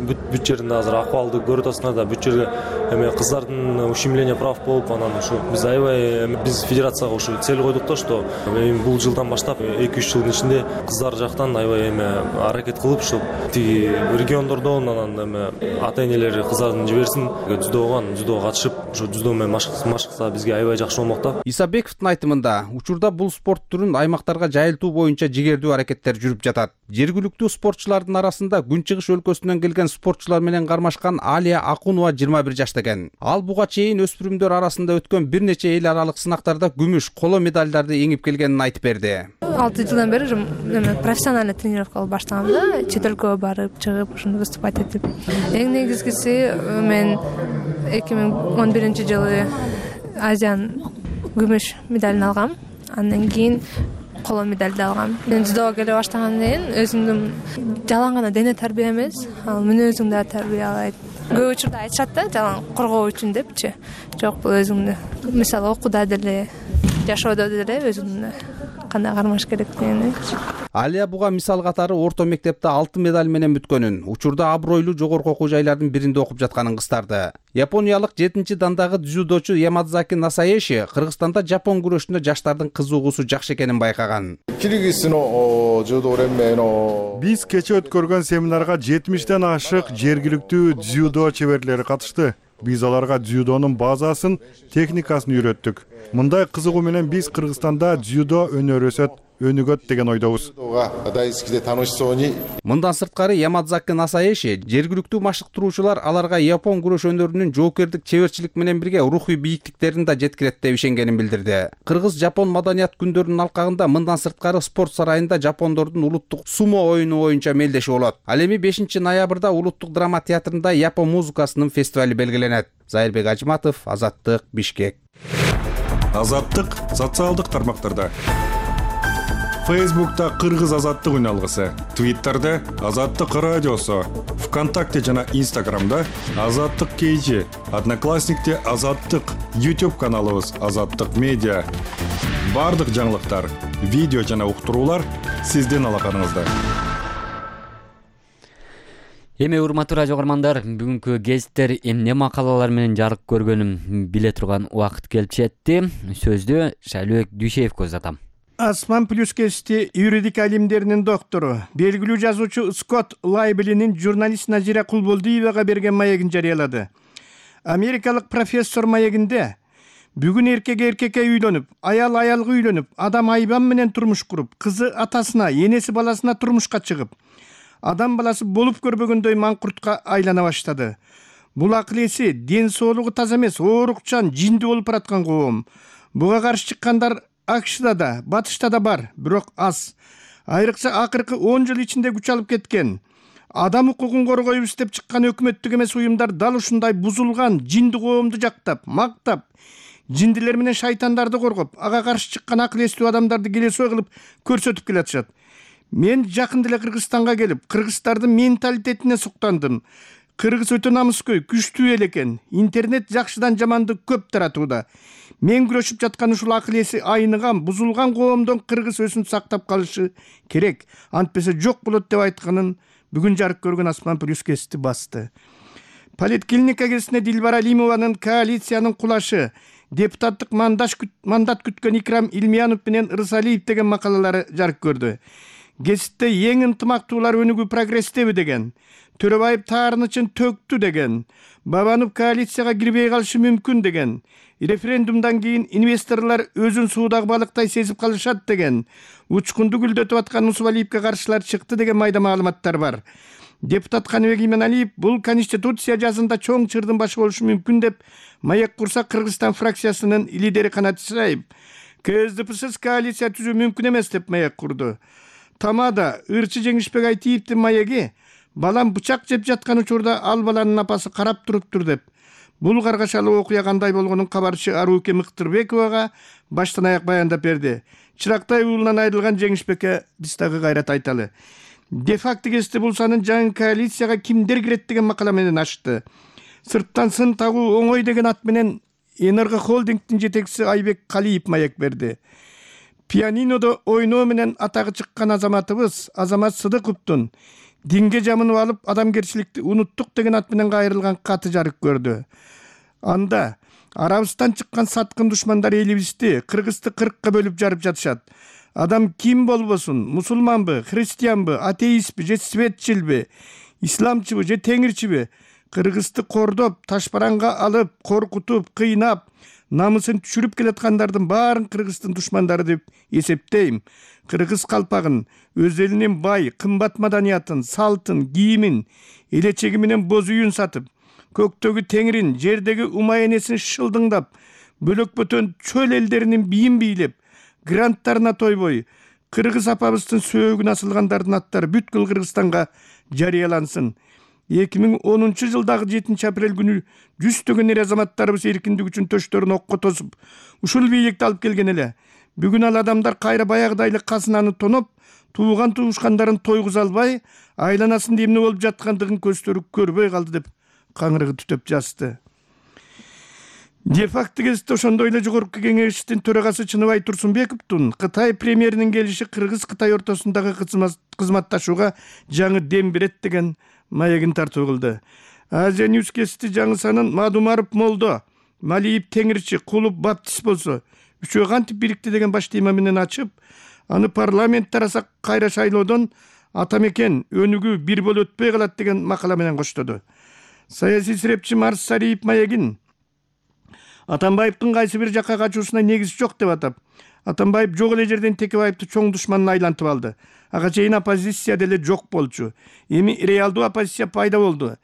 бүт жеринде азыр акыбалды көрүп атасыңар да, бүт жерде эме кыздардын ущемление прав болуп, анан ушу биз аябай биз федерацияга ушу цель койдук да, что бул жылдан баштап 2-3 жылдын ичинде кыздар жактан аябай аракет кылып, ушу тиги региондордон анан ата-энелери кыздарын жиберсин дзюдого катышып, ушу дзюдо менен машыкса бизге аябай жакшы болмок да. Исабековдун айтымында, учурда бул спорт түрүн аймактарга жайылтуу боюнча жигердүү аракеттер жүрүп жатат. Жергиликтүү спортчулардын арасында Күнчыгыш өлкөсүнөн келген спортчулар менен кармашкан Алия Акунова 21 жашта экен. Ал буга чейин өспүрүмдөр арасында өткөн бир нече эл аралык сынактарда күмүш, коло медалдарды эңип келгенин айтып берди. 6 жылдан бери профессиональный тренировка алып баштагам да, чет өлкөгө барып, чыгып, ушуну выступать этип. Эң негизгиси мен 2011 жылы Азиян күмүш медалын алгам. Андан кийин коло медалды алгам. Мен дзюдого келе баштагандан кийин өзүмдүн жалаң гана дене тарбия эмес, ал мүнөзүңдү да тарбиялайт. Көп учурда айтышат да, жалаң коргоо үчүн депчи. Жок, бул өзүңдү. Мисалы окууда деле, жашоодо деле өзүңдү кандай кармаш керектигин. Алия буга мисал катары орто мектепте 6 медаль менен бүткөнүн, учурда абройлуу жогорку окуу жайлардын биринде окуп жатканын кыстарды. Япониялык 7 дандагы дзюдочу Ямадзаки Насаеши Кыргызстанда жапон күрөшүнө жаштардын кызыгуусу жакшы экенин байкаган. Биз кече өткөргөн семинарга 70ден ашык жергиликтүү дзюдо чеберлери катышты. Биз аларга дзюдонун базасын, техникасын үйрөттүк. Мындай кызыгуу менен биз Кыргызстанда дзюдо өнөрү өсөт. өнүгөт деген ойдобуз. Мындан сырткары Ямадзаки Насаеши жергиликтүү машыктыруучулар аларга япон күрөш өнөрүнүн жоокердик чеберчилик менен бирге рухий бийиктиктерин да жеткирет деп ишенгенин билдирди. Кыргыз-жапон маданият күндөрүнүн алкагында мындан сырткары спорт сарайында жапондордун улуттук сумо оюну боюнча мелдешүү болот. Ал эми 5-ноябрда улуттук драма театрында япон музыкасынын фестивали белгиленет. Зайырбек Ажматов, Азаттык, Бишкек. Азаттык социалдык тармактарда. Фейсбукта Кыргыз Азаттык үн алгысы, Твиттерде Азаттык радиосу, ВКонтакте жана Инстаграмда Азаттык KG, Одноклассникте Азаттык, YouTube каналыбыз Азаттык медиа. Бардык жаңылыктар, видео жана уктуруулар сиздин алаканыңызда. Эми урматтуу радио көрөрмандар, бүгүнкү гезиттер эмне макалалар менен жарык көргөнүм биле турган убакыт келип жетти. Сөздү Шайлыбек Дүйшеевге узатам. Асман плюс кести юридика илимдеринин доктору, белгилүү жазуучу Скотт Лайблинин журналист Назира Кулболдиевага берген маегин жарыялады. Америкалык профессор маегинде бүгүн эркекке үйлөнүп, аял аялга үйлөнүп, адам айбан менен турмуш куруп, кызы атасына, энеси баласына турмушка чыгып, адам баласы болуп көрбөгөндөй маңкуртка айлана баштады. Бул акыл эси, ден соолугу таза эмес, оорукчан, жинди болуп бараткан коом. Буга каршы чыккандар АКШда да, Батышта да бар, бирок аз. Айрыкча акыркы 10 жыл ичинде күч алып кеткен. Адам укугун коргойбуз деп чыккан өкмөттүк эмес уюмдар дал ушундай бузулган жинди коомду жактап, мактап, жиндилер менен шайтандарды коргоп, ага каршы чыккан акыл эстүү адамдарды келесөө кылып көрсөтүп келатышат. Мен жакында эле Кыргызстанга келип, кыргыздардын менталитетине суктандым. Кыргыз өтө намыскөй, күчтүү эл экен. Интернет жакшыдан жаманды көп таратууда. Мен күрөшүп жаткан ушул акыл эси айныган, бузулган коомдон кыргыз өсүн сактап калышы керек. Антпесе жок болот деп айтканын бүгүн жарык көргөн Асман плюс кести басты. Политклиника кезинде Дилбара Алимованын коалициянын кулашы, депутаттык мандат күткөн Икрам Илмиянов менен Ырсалиев деген макалалары жарык көрдү. Гезитте эң ынтымактуулар өнүгүү прогресстеби деген, Төрөбаев таарынычын төктү деген, Бабанов коалицияга кирбей калышы мүмкүн деген, референдумдан кийин инвесторлор өзүн суудагы балыктай сезип калышат деген, учкунду гүлдөтүп аткан Усубалиевке каршылар чыкты деген майда маалыматтар бар. Депутат Каныбек Именалиев бул конституция жазында чоң чырдын башы болушу мүмкүн деп маек курса Кыргызстан фракциясынын лидери Канат Исраев КСДПсыз коалиция түзүү мүмкүн эмес деп маек курду. Тамада ырчы Жеңишбек Айтиевдин маеги балам бычак жеп жаткан учурда ал баланын апасы карап туруптур деп. Бул каргашалуу окуя кандай болгонун кабарчы Арууке Мыктырбековага баштан аяк баяндап берди. Чырактай уулунан айрылган Жеңишбекке биз дагы кайрат айталы. Де-факто кести булсанын жаңы коалицияга кимдер кирет деген макала менен ачты. Сырттан сын тагуу оңой деген ат менен Энерго холдингдин жетекчиси Айбек Калиев маек берди. Пианинодо ойноо менен атагы чыккан азаматыбыз Азамат Сыдыковдун динге жамынып алып адамгерчиликти унуттук деген ат менен кайрылган каты жарык көрдү. Анда Арабыстан чыккан саткын душмандар элибизди, Кыргызды 40ка бөлүп жарып жатышат. Адам ким болбосун, мусулманбы, христианбы, атеистби, же светчилби, исламчыбы, же теңирчиби, Кыргызды кордоп, ташбаранга алып, коркутуп, кыйнап, намысын түшүрүп келаткандардын баарын Кыргыздын душмандары деп эсептейм. Кыргыз калпагын, өз элинин бай, кымбат маданиятын, салтын, кийимин, элечеги менен боз үйүн сатып, көктөгү теңирин, жердеги умай энесин шылдыңдап, бөлөк бөтөн чөл элдеринин бийин бийлеп, гранттарына тойбой, Кыргыз апабыздын сөөгүн асылгандардын аттары бүткүл Кыргызстанга жарыялансын. 2010 жылдагы 7 апрель күнү жүздөгөн эр азаматтарыбыз эркиндик үчүн төштөрүн окко тосуп, ушул бийликти алып келген эле. Бүгүн ал адамдар кайра баягыдай эле казынаны тоноп, тууган туушкандарын тойгуза албай, айланасында эмне болуп жаткандыгын көздөрү көрбөй калды деп каңырыгы түтөп жазды. Де-факто кезде ошондой эле жогорку кеңештин төрагасы Чыныбай Турсунбековдун Кытай премьеринин келиши Кыргыз-Кытай ортосундагы кызматташууга жаңы дем берет деген маегин тартуу кылды. Азия Ньюс кести жаңы санын Мадумаров молдо, Малиев теңирчи, Кулуп баптист болсо, үчөө кантип бирикти деген баш тема менен ачып, аны парламент тараса кайра шайлоодон атамекен өнүгүү бир болуп өтпөй калат деген макала менен коштоду. Саясий серепчи Марс Сариев маегин Атамбаевдин кайсы бир жакка качуусуна негиз жок деп атап, Атамбаев жок эле жерден Текебаевди чоң душманына айлантып алды. Ага чейин оппозиция деле жок болчу. Эми реалдуу оппозиция пайда болду.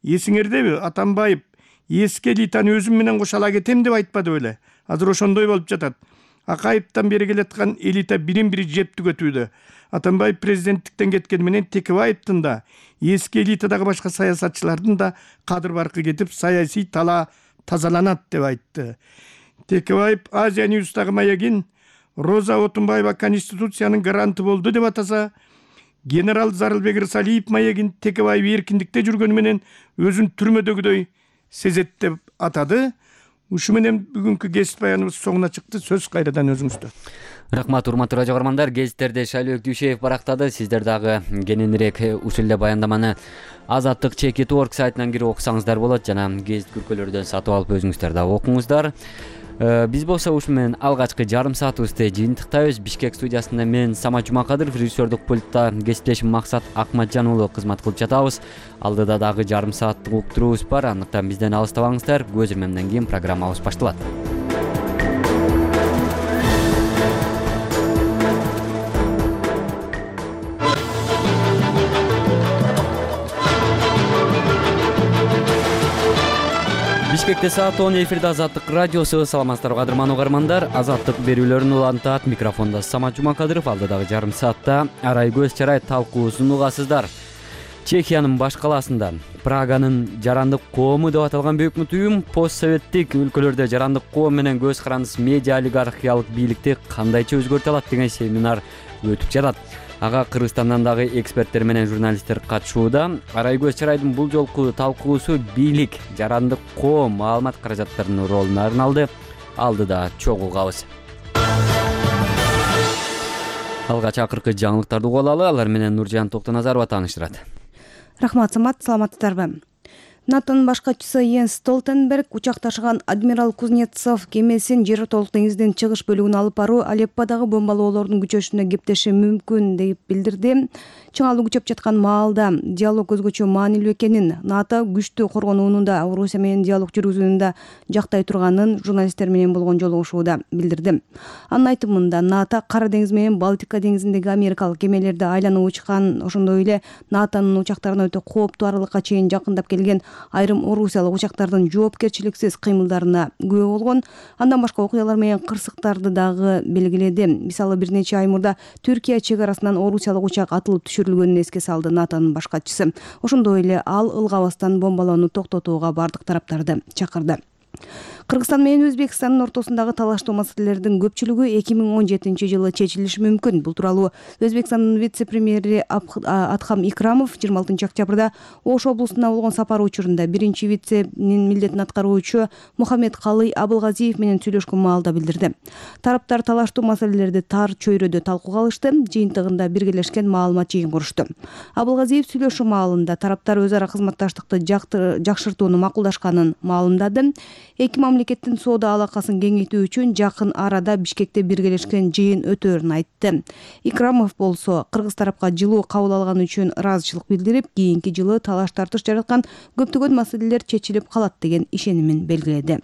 Эсиңердеби, Атамбаев эски элитаны өзүм менен кошо ала кетем деп айтпады беле? Азыр ошондой болуп жатат. Акаевден бери келаткан элита бирин-бири жеп түгөтүүдө. Атамбаев президенттиктен кеткени менен Текебаевдин да, эски элитадагы башка саясатчылардын да кадыр баркы кетип, саясий талаа тазаланат деп айтты. Текебаев Азия Ньюстагы маягин Роза Отунбаева Конституциянын гаранты болду деп атаса, генерал Зарылбек Рысалиев маягин Текебаев эркиндикте жүргөнү менен өзүн түрмөдөгүдөй сезет деп атады. Ушу менен бүгүнкү кесип баяныбыз соңуна чыкты. Сөз кайрадан өзүңүздө. Рахмат, урматтуу радио көрөрмандар. Гезиттерде Шайлоок Дүйшеев барактады. Сиздер дагы кененирээк ушул эле баяндаманы Азаттык ЧК.org сайтынан кирип окусаңыздар болот жана гезит күркөлөрдөн сатып алып өзүңүздөр дагы окуңуздар. Биз болсо ушу менен алгачкы жарым саатыбызды жыйынтыктайбыз. Бишкек студиясында мен Самат Жумакадыров, режиссердук пультта кесиптешим Максат Акматжан уулу кызмат кылып жатабыз. Алдыда дагы жарым сааттык уктуруубуз бар. Андыктан бизден алыстабаңыздар. Көз ирмемден кийин программабыз башталат. Бишкекте саат 10 эфирде Азаттык радиосу. Саламатсыздарбы кадырман угармандар. Азаттык берүүлөрүн улантат. Микрофондо Самат Жумакадыров. Алдыдагы жарым саатта арай көз чарай талкуусун угасыздар. Чехиянын баш калаасында Праганын жарандык коому деп аталган бөкмөт уюм постсоветтик өлкөлөрдө жарандык коом менен көз карандысыз медиа олигархиялык бийликти кандайча өзгөртө алат деген семинар өтүп жатат. Ага Кыргызстандан дагы эксперттер менен журналисттер катышууда. Арай көз чарайдын бул жолку талкуусу бийлик, жарандык коом маалымат каражаттарынын ролун арналды. Алдыда чогуу угабыз. Алгач акыркы жаңылыктарды угуп алалы. Алар менен Нуржан Токтоназарова тааныштырат. Рахмат, Самат, саламатсыздарбы? НАТОнун баш катчысы Йенс Столтенберг учак ташыган адмирал Кузнецов кемесин жер ортолук деңиздин чыгыш бөлүгүнө алып баруу Алепподагы бомбалоолордун күчөшүнө кептеши мүмкүн деп билдирди. Чыңалуу күчөп жаткан маалда диалог өзгөчө маанилүү экенин, НАТО күчтүү коргонуунда Орусия менен диалог жүргүзүүнү жактай турганын журналисттер менен болгон жолугушууда билдирди. Анын айтымында НАТО Кара деңиз менен Балтика деңизиндеги америкалык кемелерди айланып учкан, ошондой эле НАТОнун учактарына өтө кооптуу аралыкка чейин жакындап келген айрым орусиялык учактардын жоопкерчиликсиз кыймылдарына күбө болгон. Андан башка окуялар менен кырсыктарды дагы белгиледи. Мисалы бир нече ай мурда Түркия чек арасынан орусиялык учак атылып түшүрүлгөнүн эске салды НАТОнун баш катчысы. Ошондой эле ал ылгабастан бомбалоону токтотууга бардык тараптарды чакырды. Кыргызстан менен Өзбекстандын ортосундагы талаштуу маселелердин көпчүлүгү 2017-жылы чечилиши мүмкүн. Бул тууралуу Өзбекстандын вице-премьери Адхам Икрамов 26 октябрда Ош облусуна болгон сапары учурунда биринчи виценин милдетин аткаруучу Мухаммед Калый Абылгазиев менен сүйлөшкөн маалда билдирди. Тараптар талаштуу маселелерди тар чөйрөдө талкууга алышты, жыйынтыгында биргелешкен маалымат жыйын курушту. Абылгазиев сүйлөшүү маалында тараптар өз ара кызматташтыкты жакшыртууну макулдашканын маалымдады. Эки мамлекеттин соода алакасын кеңейтүү үчүн жакын арада Бишкекте биргелешкен жыйын өтөөрүн айтты. Икрамов болсо кыргыз тарапка жылуу кабыл алганы үчүн ыраазычылык билдирип, кийинки жылы талаш-тартыш жараткан көптөгөн маселелер чечилип калат деген ишенимин белгиледи.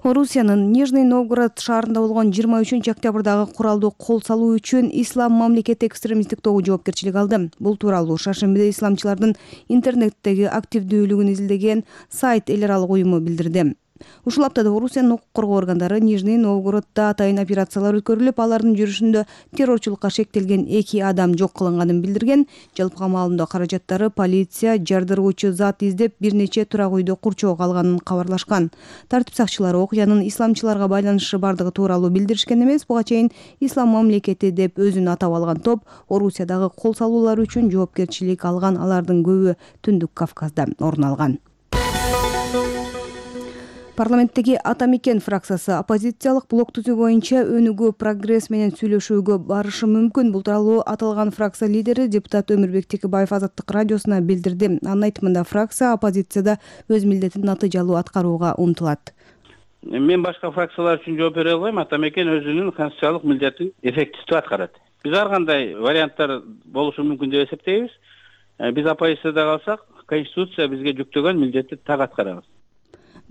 Орусиянын Нижний Новгород шаарында болгон 23 октябрдагы куралдуу кол салуу үчүн Ислам мамлекети экстремисттик тобу жоопкерчилик алды. Бул тууралуу шаршембиде исламчылардын интернеттеги активдүүлүгүн изилдеген сайт эл аралык уюму билдирди. Ушул аптада Орусиянын укук коргоо органдары Нижний Новгороддо атайын операциялар өткөрүлүп, алардын жүрүшүндө террорчулукка шектелген 2 адам жок кылынганын билдирген. Жалпы камалымдоо каражаттары полиция жардыруучу зат издеп бир нече турак үйдө курчоого алганын кабарлашкан. Тартип сакчылары окуянын исламчыларга байланышы бардыгы тууралуу билдиришкен эмес. Буга чейин Ислам мамлекети деп өзүн атап алган топ Орусиядагы кол салуулар үчүн жоопкерчилик алган, алардын көбү Түндүк Кавказда орун алган. Парламенттеги Ата Мекен фракциясы оппозициялык блок түзүү боюнча өнүгүү прогресс менен сүйлөшүүгө барышы мүмкүн. Бул тууралуу аталган фракция лидери депутат Өмүрбек Текебаев Азаттык радиосуна билдирди. Анын айтымында фракция оппозицияда өз милдетин натыйжалуу аткарууга умтулат. Мен башка фракциялар үчүн жооп бере албайм. Ата Мекен өзүнүн конституциялык милдетин эффективдүү аткарат. Биз ар кандай варианттар болушу мүмкүн деп эсептейбиз. Биз оппозицияда калсак, конституция бизге жүктөгөн милдетти так аткарабыз.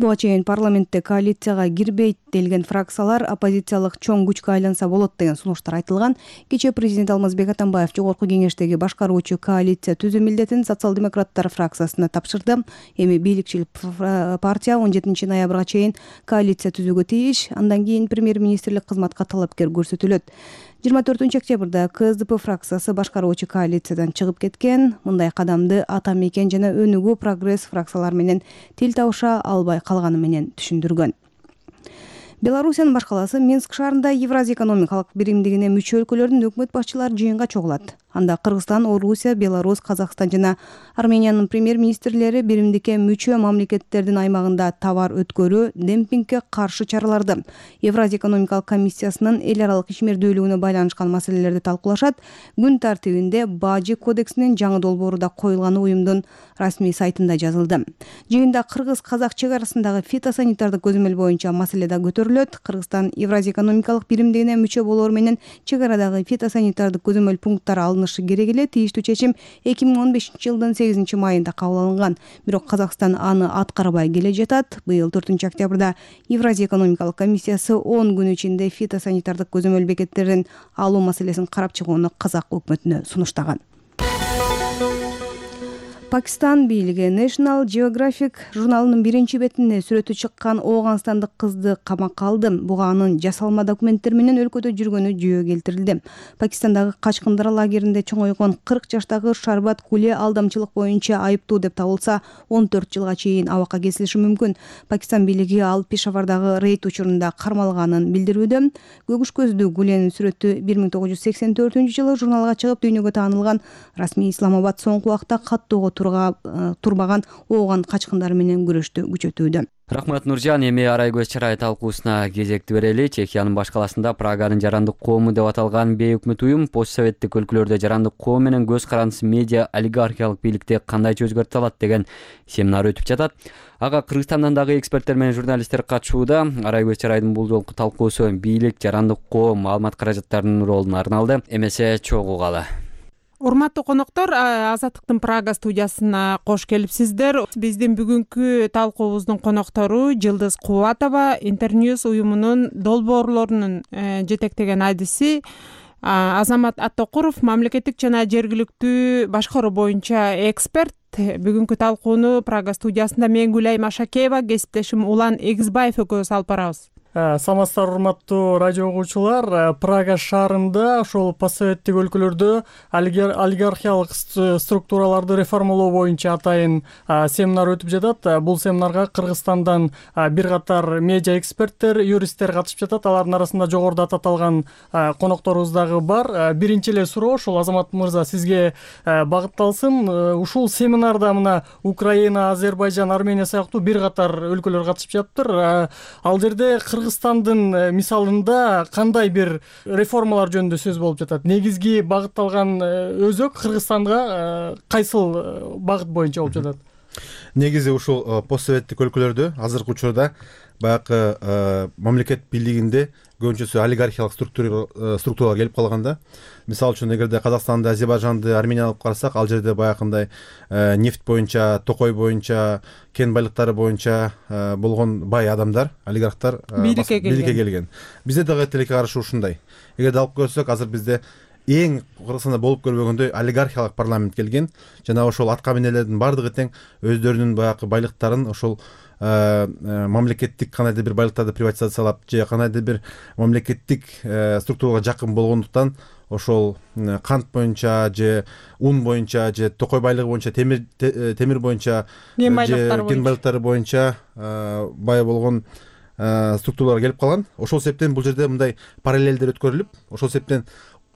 Буга чейин парламентте коалицияга кирбейт делген фракциялар оппозициялык чоң күчкө айланса болот деген сунуштар айтылган. Кечээ президент Алмазбек Атамбаев жогорку кеңештеги башкаруучу коалиция түзүү милдетин социал-демократтар фракциясына тапшырды. Эми бийликчил партия 17 ноябрга чейин коалиция түзүүгө тийиш. Андан кийин премьер-министрлик кызматка талапкер көрсөтүлөт. 24 октябрда КСДП фракциясы башкаруучу коалициядан чыгып кеткен. Мындай кадамды Ата Мекен жана Өнүгүү Прогресс фракциялары менен тил табыша албай калганы менен түшүндүргөн. Белоруссиянын баш калаасы Минск шаарында Евразия экономикалык биримдигине мүчө өлкөлөрдүн өкмөт башчылары жыйынга чогулат. Анда Кыргызстан, Орусия, Беларусь, Казакстан жана Армениянын премьер-министрлери биримдикке мүчө мамлекеттердин аймагында товар өткөрүү, демпингге каршы чараларды, Евразия экономикалык комиссиясынын эл аралык ишмердүүлүгүнө байланышкан маселелерди талкуулашат. Күн тартибинде Бажы кодексинин жаңы долбоору да коюлганы уюмдун расмий сайтында жазылды. Жыйында кыргыз-казак чек арасындагы фитосанитардык көзөмөл боюнча маселе да көтөрүлөт. Кыргызстан Евразия экономикалык биримдигине мүчө болоор менен чек арадагы фитосанитардык көзөмөл пункттары алынышы керек эле. Тийиштүү чечим 2015-жылдын 8-майында кабыл алынган. Бирок Казакстан аны аткарбай келе жатат. Быйыл 4 октябрда Евразия экономикалык комиссиясы 10 күн ичинде фитосанитардык көзөмөл бекеттерин алуу маселесин карап чыгууну казак өкмөтүнө сунуштаган. Пакистан бийлиги National Geographic журналынын биринчи бетине сүрөтү чыккан ооганстандык кызды камакка алды. Буга анын жасалма документтер менен өлкөдө жүргөнү жөө келтирилди. Пакистандагы качкындар лагеринде чоңойгон 40 жаштагы Шарбат Куле алдамчылык боюнча айыптуу деп табылса, 14 жылга чейин абакка кесилиши мүмкүн. Пакистан бийлиги ал Пешавардагы рейд учурунда кармалганын билдирүүдө. Көгүш көздүү Гуленин сүрөтү 1984-жылы журналга чыгып дүйнөгө таанылган. Расмий Исламабад соңку убакта каттоого турбаган ооган качкындар менен күрөштү күчөтүүдө. Рахмат Нуржан. Эми арай көз чырай талкуусуна кезекти берели. Чехиянын баш каласында Праганын жарандык коому деп аталган бейөкмөт уюм постсоветтик өлкөлөрдө жарандык коом менен көз карандысыз медиа олигархиялык бийликти кандайча өзгөртө алат деген семинар өтүп жатат. Ага Кыргызстандан дагы эксперттер менен журналисттер катышууда. Арай көз чырайдын бул жолку талкуусу бийлик, жарандык коом, маалымат каражаттарынын ролуна арналды. Эмесе чогуу кала. Урматтуу коноктор, Азаттыктын Прага студиясына кош келипсиздер. Биздин бүгүнкү талкуубуздун коноктору Жылдыз Кубатова, Интерньюз уюмунун долбоорлорунун жетектеген адиси, Азамат Аттокуров, мамлекеттик жана жергиликтүү башкаруу боюнча эксперт. Бүгүнкү талкууну Прага студиясында мен Гүлайым Ашакеева, кесиптешим Улан Эгизбаев экөөбүз алып барабыз. Саламатсыздар, урматтуу радио угуучулар. Прага шаарында ошол постсоветтик өлкөлөрдө олигархиялык структураларды реформалоо боюнча атайын семинар өтүп жатат. Бул семинарга Кыргызстандан бир катар медиа эксперттер, юристтер катышып жатат. Алардын арасында жогоруда аталган конокторубуз дагы бар. Биринчи эле суроо ошол Азамат мырза сизге багытталсын. Ушул семинарда мына Украина, Азербайжан, Армения сыяктуу бир катар өлкөлөр катышып жатыптыр. Ал жерде Кыргызстандын мисалында кандай бир реформалар жөнүндө сөз болуп жатат? Негизги багытталган өзөк Кыргызстанга кайсыл багыт боюнча болуп жатат? Негизи ушул постсоветтик өлкөлөрдө азыркы учурда баягы мамлекет бийлигинде көбүнчөсү олигархиялык структуралар келип калганда. Мисалы үчүн эгерде Казакстанды, Азербайжанды, Арменияны алып карасак, ал жерде баягындай нефть боюнча, токой боюнча, кен байлыктары боюнча болгон бай адамдар, олигархтар бийликке келген. Бизде дагы тилекке каршы ушундай. Эгерде алып көрсөк, азыр бизде эң Кыргызстанда болуп көрбөгөндөй олигархиялык парламент келген. Жана ошол атка минелердин бардыгы тең өздөрүнүн баягы байлыктарын ошол мамлекеттик кандайдыр бир байлыктарды приватизациялап же кандайдыр бир мамлекеттик структурага жакын болгондуктан ошол кант боюнча же ун боюнча же токой байлыгы боюнча, темир боюнча же кен байлыктары боюнча бай болгон структуралар келип калган. Ошол себептен бул жерде мындай параллелдер өткөрүлүп, ошол себептен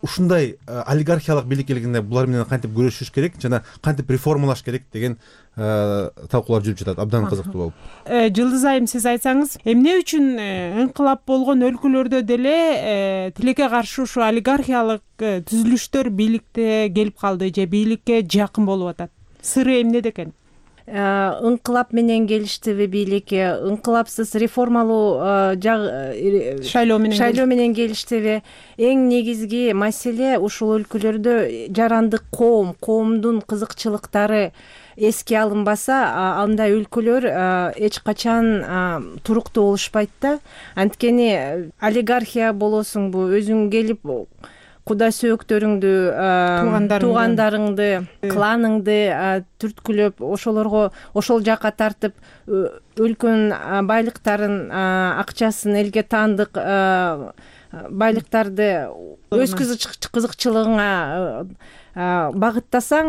ушундай олигархиялык бийлик келгенде булар менен кантип күрөшүш керек жана кантип реформалаш керек деген талкуулар жүрүп жатат. Абдан кызыктуу болуп. Жылдыз айым, сиз айтсаңыз, эмне үчүн инкылап болгон өлкөлөрдө деле тилекке каршы ушу олигархиялык түзүлүштөр бийликте келип калды же бийликке жакын болуп атат? Сыры эмнеде экен? ыңкылап менен келиштиби бийликке, ыңкылапсыз реформалуу шайлоо менен келиштиби? Эң негизги маселе ушул өлкөлөрдө жарандык коомдун кызыкчылыктары эске алынбаса, андай өлкөлөр эч качан туруктуу болушпайт да. Анткени олигархия болосуңбу, өзүң келип куда сөөктөрүңдү, туугандарыңды, кланыңды түрткүлөп, ошол жака тартып, өлкөнүн байлыктарын, акчасын, элге таандык байлыктарды өз кызыкчылыгыңа багыттасаң,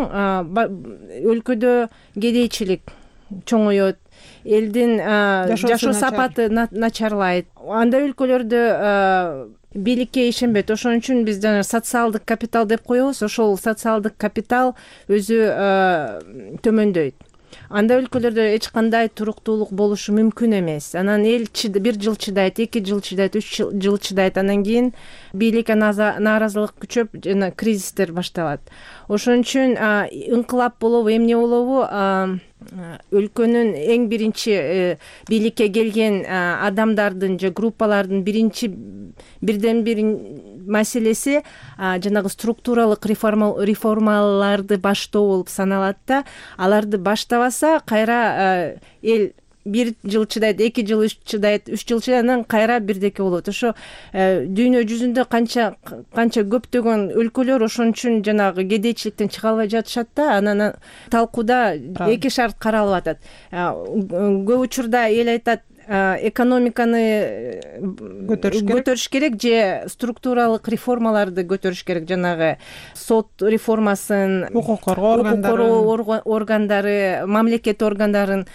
өлкөдө кедейчилик чоңоет, элдин жашоо сапаты начарлайт. Андай өлкөлөрдө бийликке ишенбейт. Ошон үчүн биз жана социалдык капитал деп коебуз. Ошол социалдык капитал өзү төмөндөйт. Андай өлкөлөрдө эч кандай туруктуулук болушу мүмкүн эмес. Анан эл 1 жыл чыдайт, 2 жыл чыдайт, 3 жыл чыдайт. Анан кийин бийликке нааразылык күчөп, жана кризистер башталат. Ошон үчүн ыңкылап болобу, эмне болобу, өлкөнүн эң биринчи бийликке келген адамдардын же группалардын бирден бир маселеси жанагы структуралык реформаларды баштоо болуп саналат да. Аларды баштабаса, кайра эл 1 жыл чыдайт, 2 жыл чыдайт, 3 жыл чыдайт, анан кайра бирдеке болот. Ошо дүйнө жүзүндө канча көптөгөн өлкөлөр ошон үчүн жанагы кедейчиликтен чыга албай жатышат да. Анан талкууда эки шарт каралып атат. Көп учурда эл айтат, экономиканы көтөрүш керек же структуралык реформаларды көтөрүш керек, жанагы сот реформасын, укук коргоо органдары, мамлекет органдарын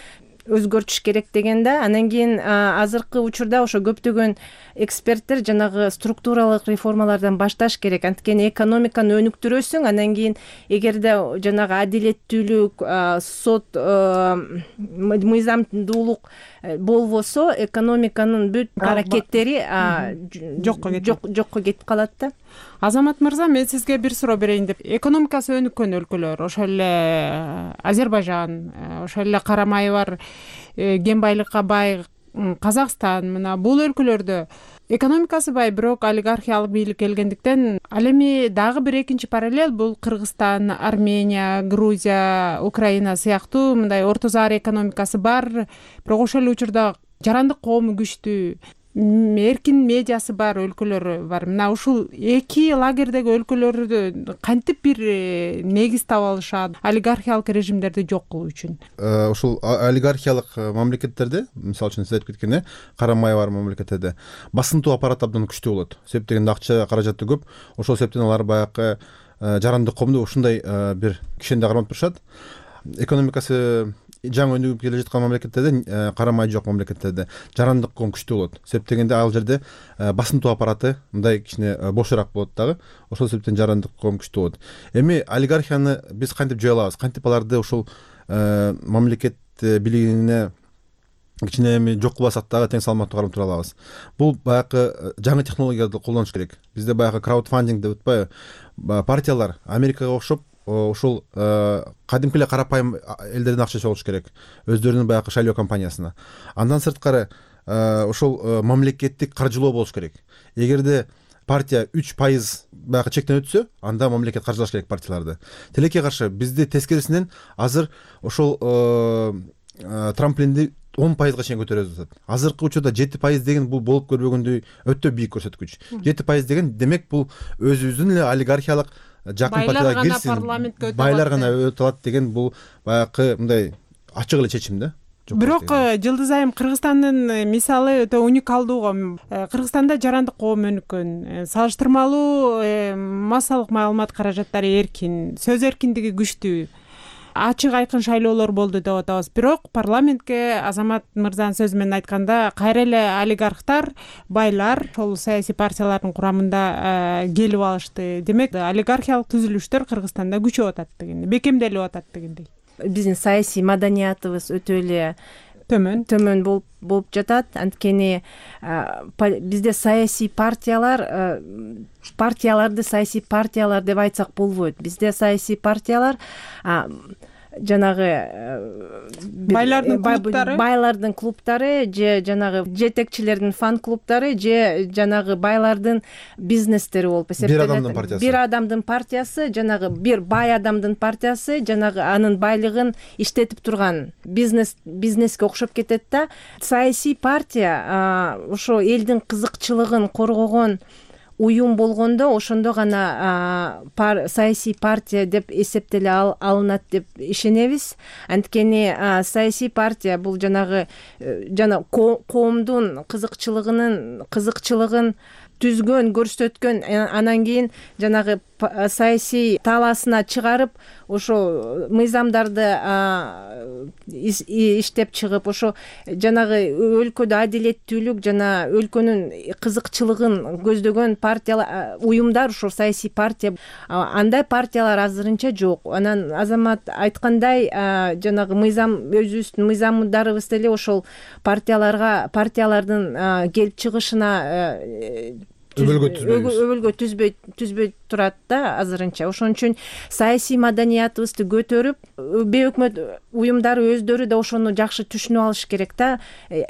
өзгөртүш керек дегенде. Анан кийин азыркы учурда ошо көптөгөн эксперттер жанагы структуралык реформалардан башташ керек. Анткени экономиканы өнүктүрөсүң, анан кийин эгерде жанагы адилеттүүлүк, сот, мыйзамдуулук болбосо, экономиканын бүт аракеттери жокко кетип калат да. Азамат мырза, мен сизге бир суроо берейин деп. Экономикасы өнүккөн өлкөлөр, ошол эле Азербайжан, ошол эле карамайы бар, кен байлыкка бай Казакстан, мына бул өлкөлөрдө экономикасы бай, бирок олигархиялык бийлик келгендиктен, ал эми дагы бир экинчи параллель бул Кыргызстан, Армения, Грузия, Украина сыяктуу мындай орто заар экономикасы бар, бирок ошол эле учурда жарандык коому күчтүү, эркин медиасы бар өлкөлөр бар. Мына ушул эки лагердеги өлкөлөрдө кантип бир негиз таба алышат олигархиялык режимдерди жок кылуу үчүн? Ушул олигархиялык мамлекеттерде, мисалы үчүн сиз айтып кеткен карамай бар мамлекеттерде басынтуу аппарат абдан күчтүү болот. Себеп дегенде акча каражаты көп. Ошол себептен алар баягы жарандык коомду ушундай бир кишенде кармап турушат. Экономикасы жаңы өнүгүп келе жаткан мамлекеттерде, карамай жок мамлекеттерде жарандык коом күчтүү болот. Себеп дегенде ал жерде басынтуу аппараты мындай кичине бошураак болот дагы. Ошол себептен жарандык коом күчтүү болот. Эми олигархияны биз кантип жөө алабыз? Кантип аларды ушул мамлекет бийлигине кичине эми жок кылбасак дагы тең салмактуу карап тура алабыз? Бул баягы жаңы технологияларды колдонуш керек. Бизде баягы краудфандинг деп атпайбы? Партиялар Америкага окшоп ушул кадимки эле карапайым элдердин акчасы болуш керек, өздөрүнүн баягы шайлоо компаниясына. Андан сырткары ушул мамлекеттик каржылоо болуш керек. Эгерде партия 3% баягы чектен өтсө, анда мамлекет каржылаш керек партияларды. Тилекке каршы бизде тескерисинен азыр ошол трамплинди 10%га чейин көтөрөбүз атат. Азыркы учурда 7% деген бул болуп көрбөгөндөй өтө бийик көрсөткүч. 7% деген демек бул өзүбүздүн эле олигархиялык жакын партияга кирсин, байлар гана өтө алат деген бул баягы мындай ачык эле чечим да. Бирок Жылдыз айым, Кыргызстандын мисалы өтө уникалдуу. Кыргызстанда жарандык коом өнүккөн, салыштырмалуу массалык маалымат каражаттары эркин, сөз эркиндиги күчтүү, ачык айкын шайлоолор болду деп атабыз. Бирок парламентке Азамат мырзанын сөзү менен айтканда, кайра эле олигархтар, байлар ошол саясий партиялардын курамында келип алышты. Демек, олигархиялык түзүлүштөр Кыргызстанда күчөп атат дегендей, бекемделип атат дегендей. Биздин саясий маданиятыбыз өтө эле төмөн болуп жатат. Анткени бизде саясий партияларды саясий партиялар деп айтсак болбойт. Бизде саясий партиялар жанагы байлардын клубтары же жанагы жетекчилердин фан клубтары же жанагы байлардын бизнестери болуп эсептелет. Бир адамдын партиясы жанагы бир бай адамдын партиясы жанагы анын байлыгын иштетип турган бизнеске окшоп кетет да. Саясий партия ошо элдин кызыкчылыгын коргогон уюм болгондо ошондо гана саясий партия деп эсептеле алынат деп ишенебиз. Анткени саясий партия бул жанагы коомдун кызыкчылыгын түзгөн, көрсөткөн, анан кийин жанагы саясий талаасына чыгарып, ошо мыйзамдарды иштеп чыгып, ошо жанагы өлкөдө адилеттүүлүк жана өлкөнүн кызыкчылыгын көздөгөн партиялар, уюмдар ошо саясий партия. Андай партиялар азырынча жок. Анан Азамат айткандай, жанагы өзүбүздүн мыйзамдарыбыз деле ошол партиялардын келип чыгышына өбөлгө түзбөй турат да азырынча. Ошон үчүн саясий маданиятыбызды көтөрүп, бейөкмөт уюмдары өздөрү да ошону жакшы түшүнүп алыш керек да.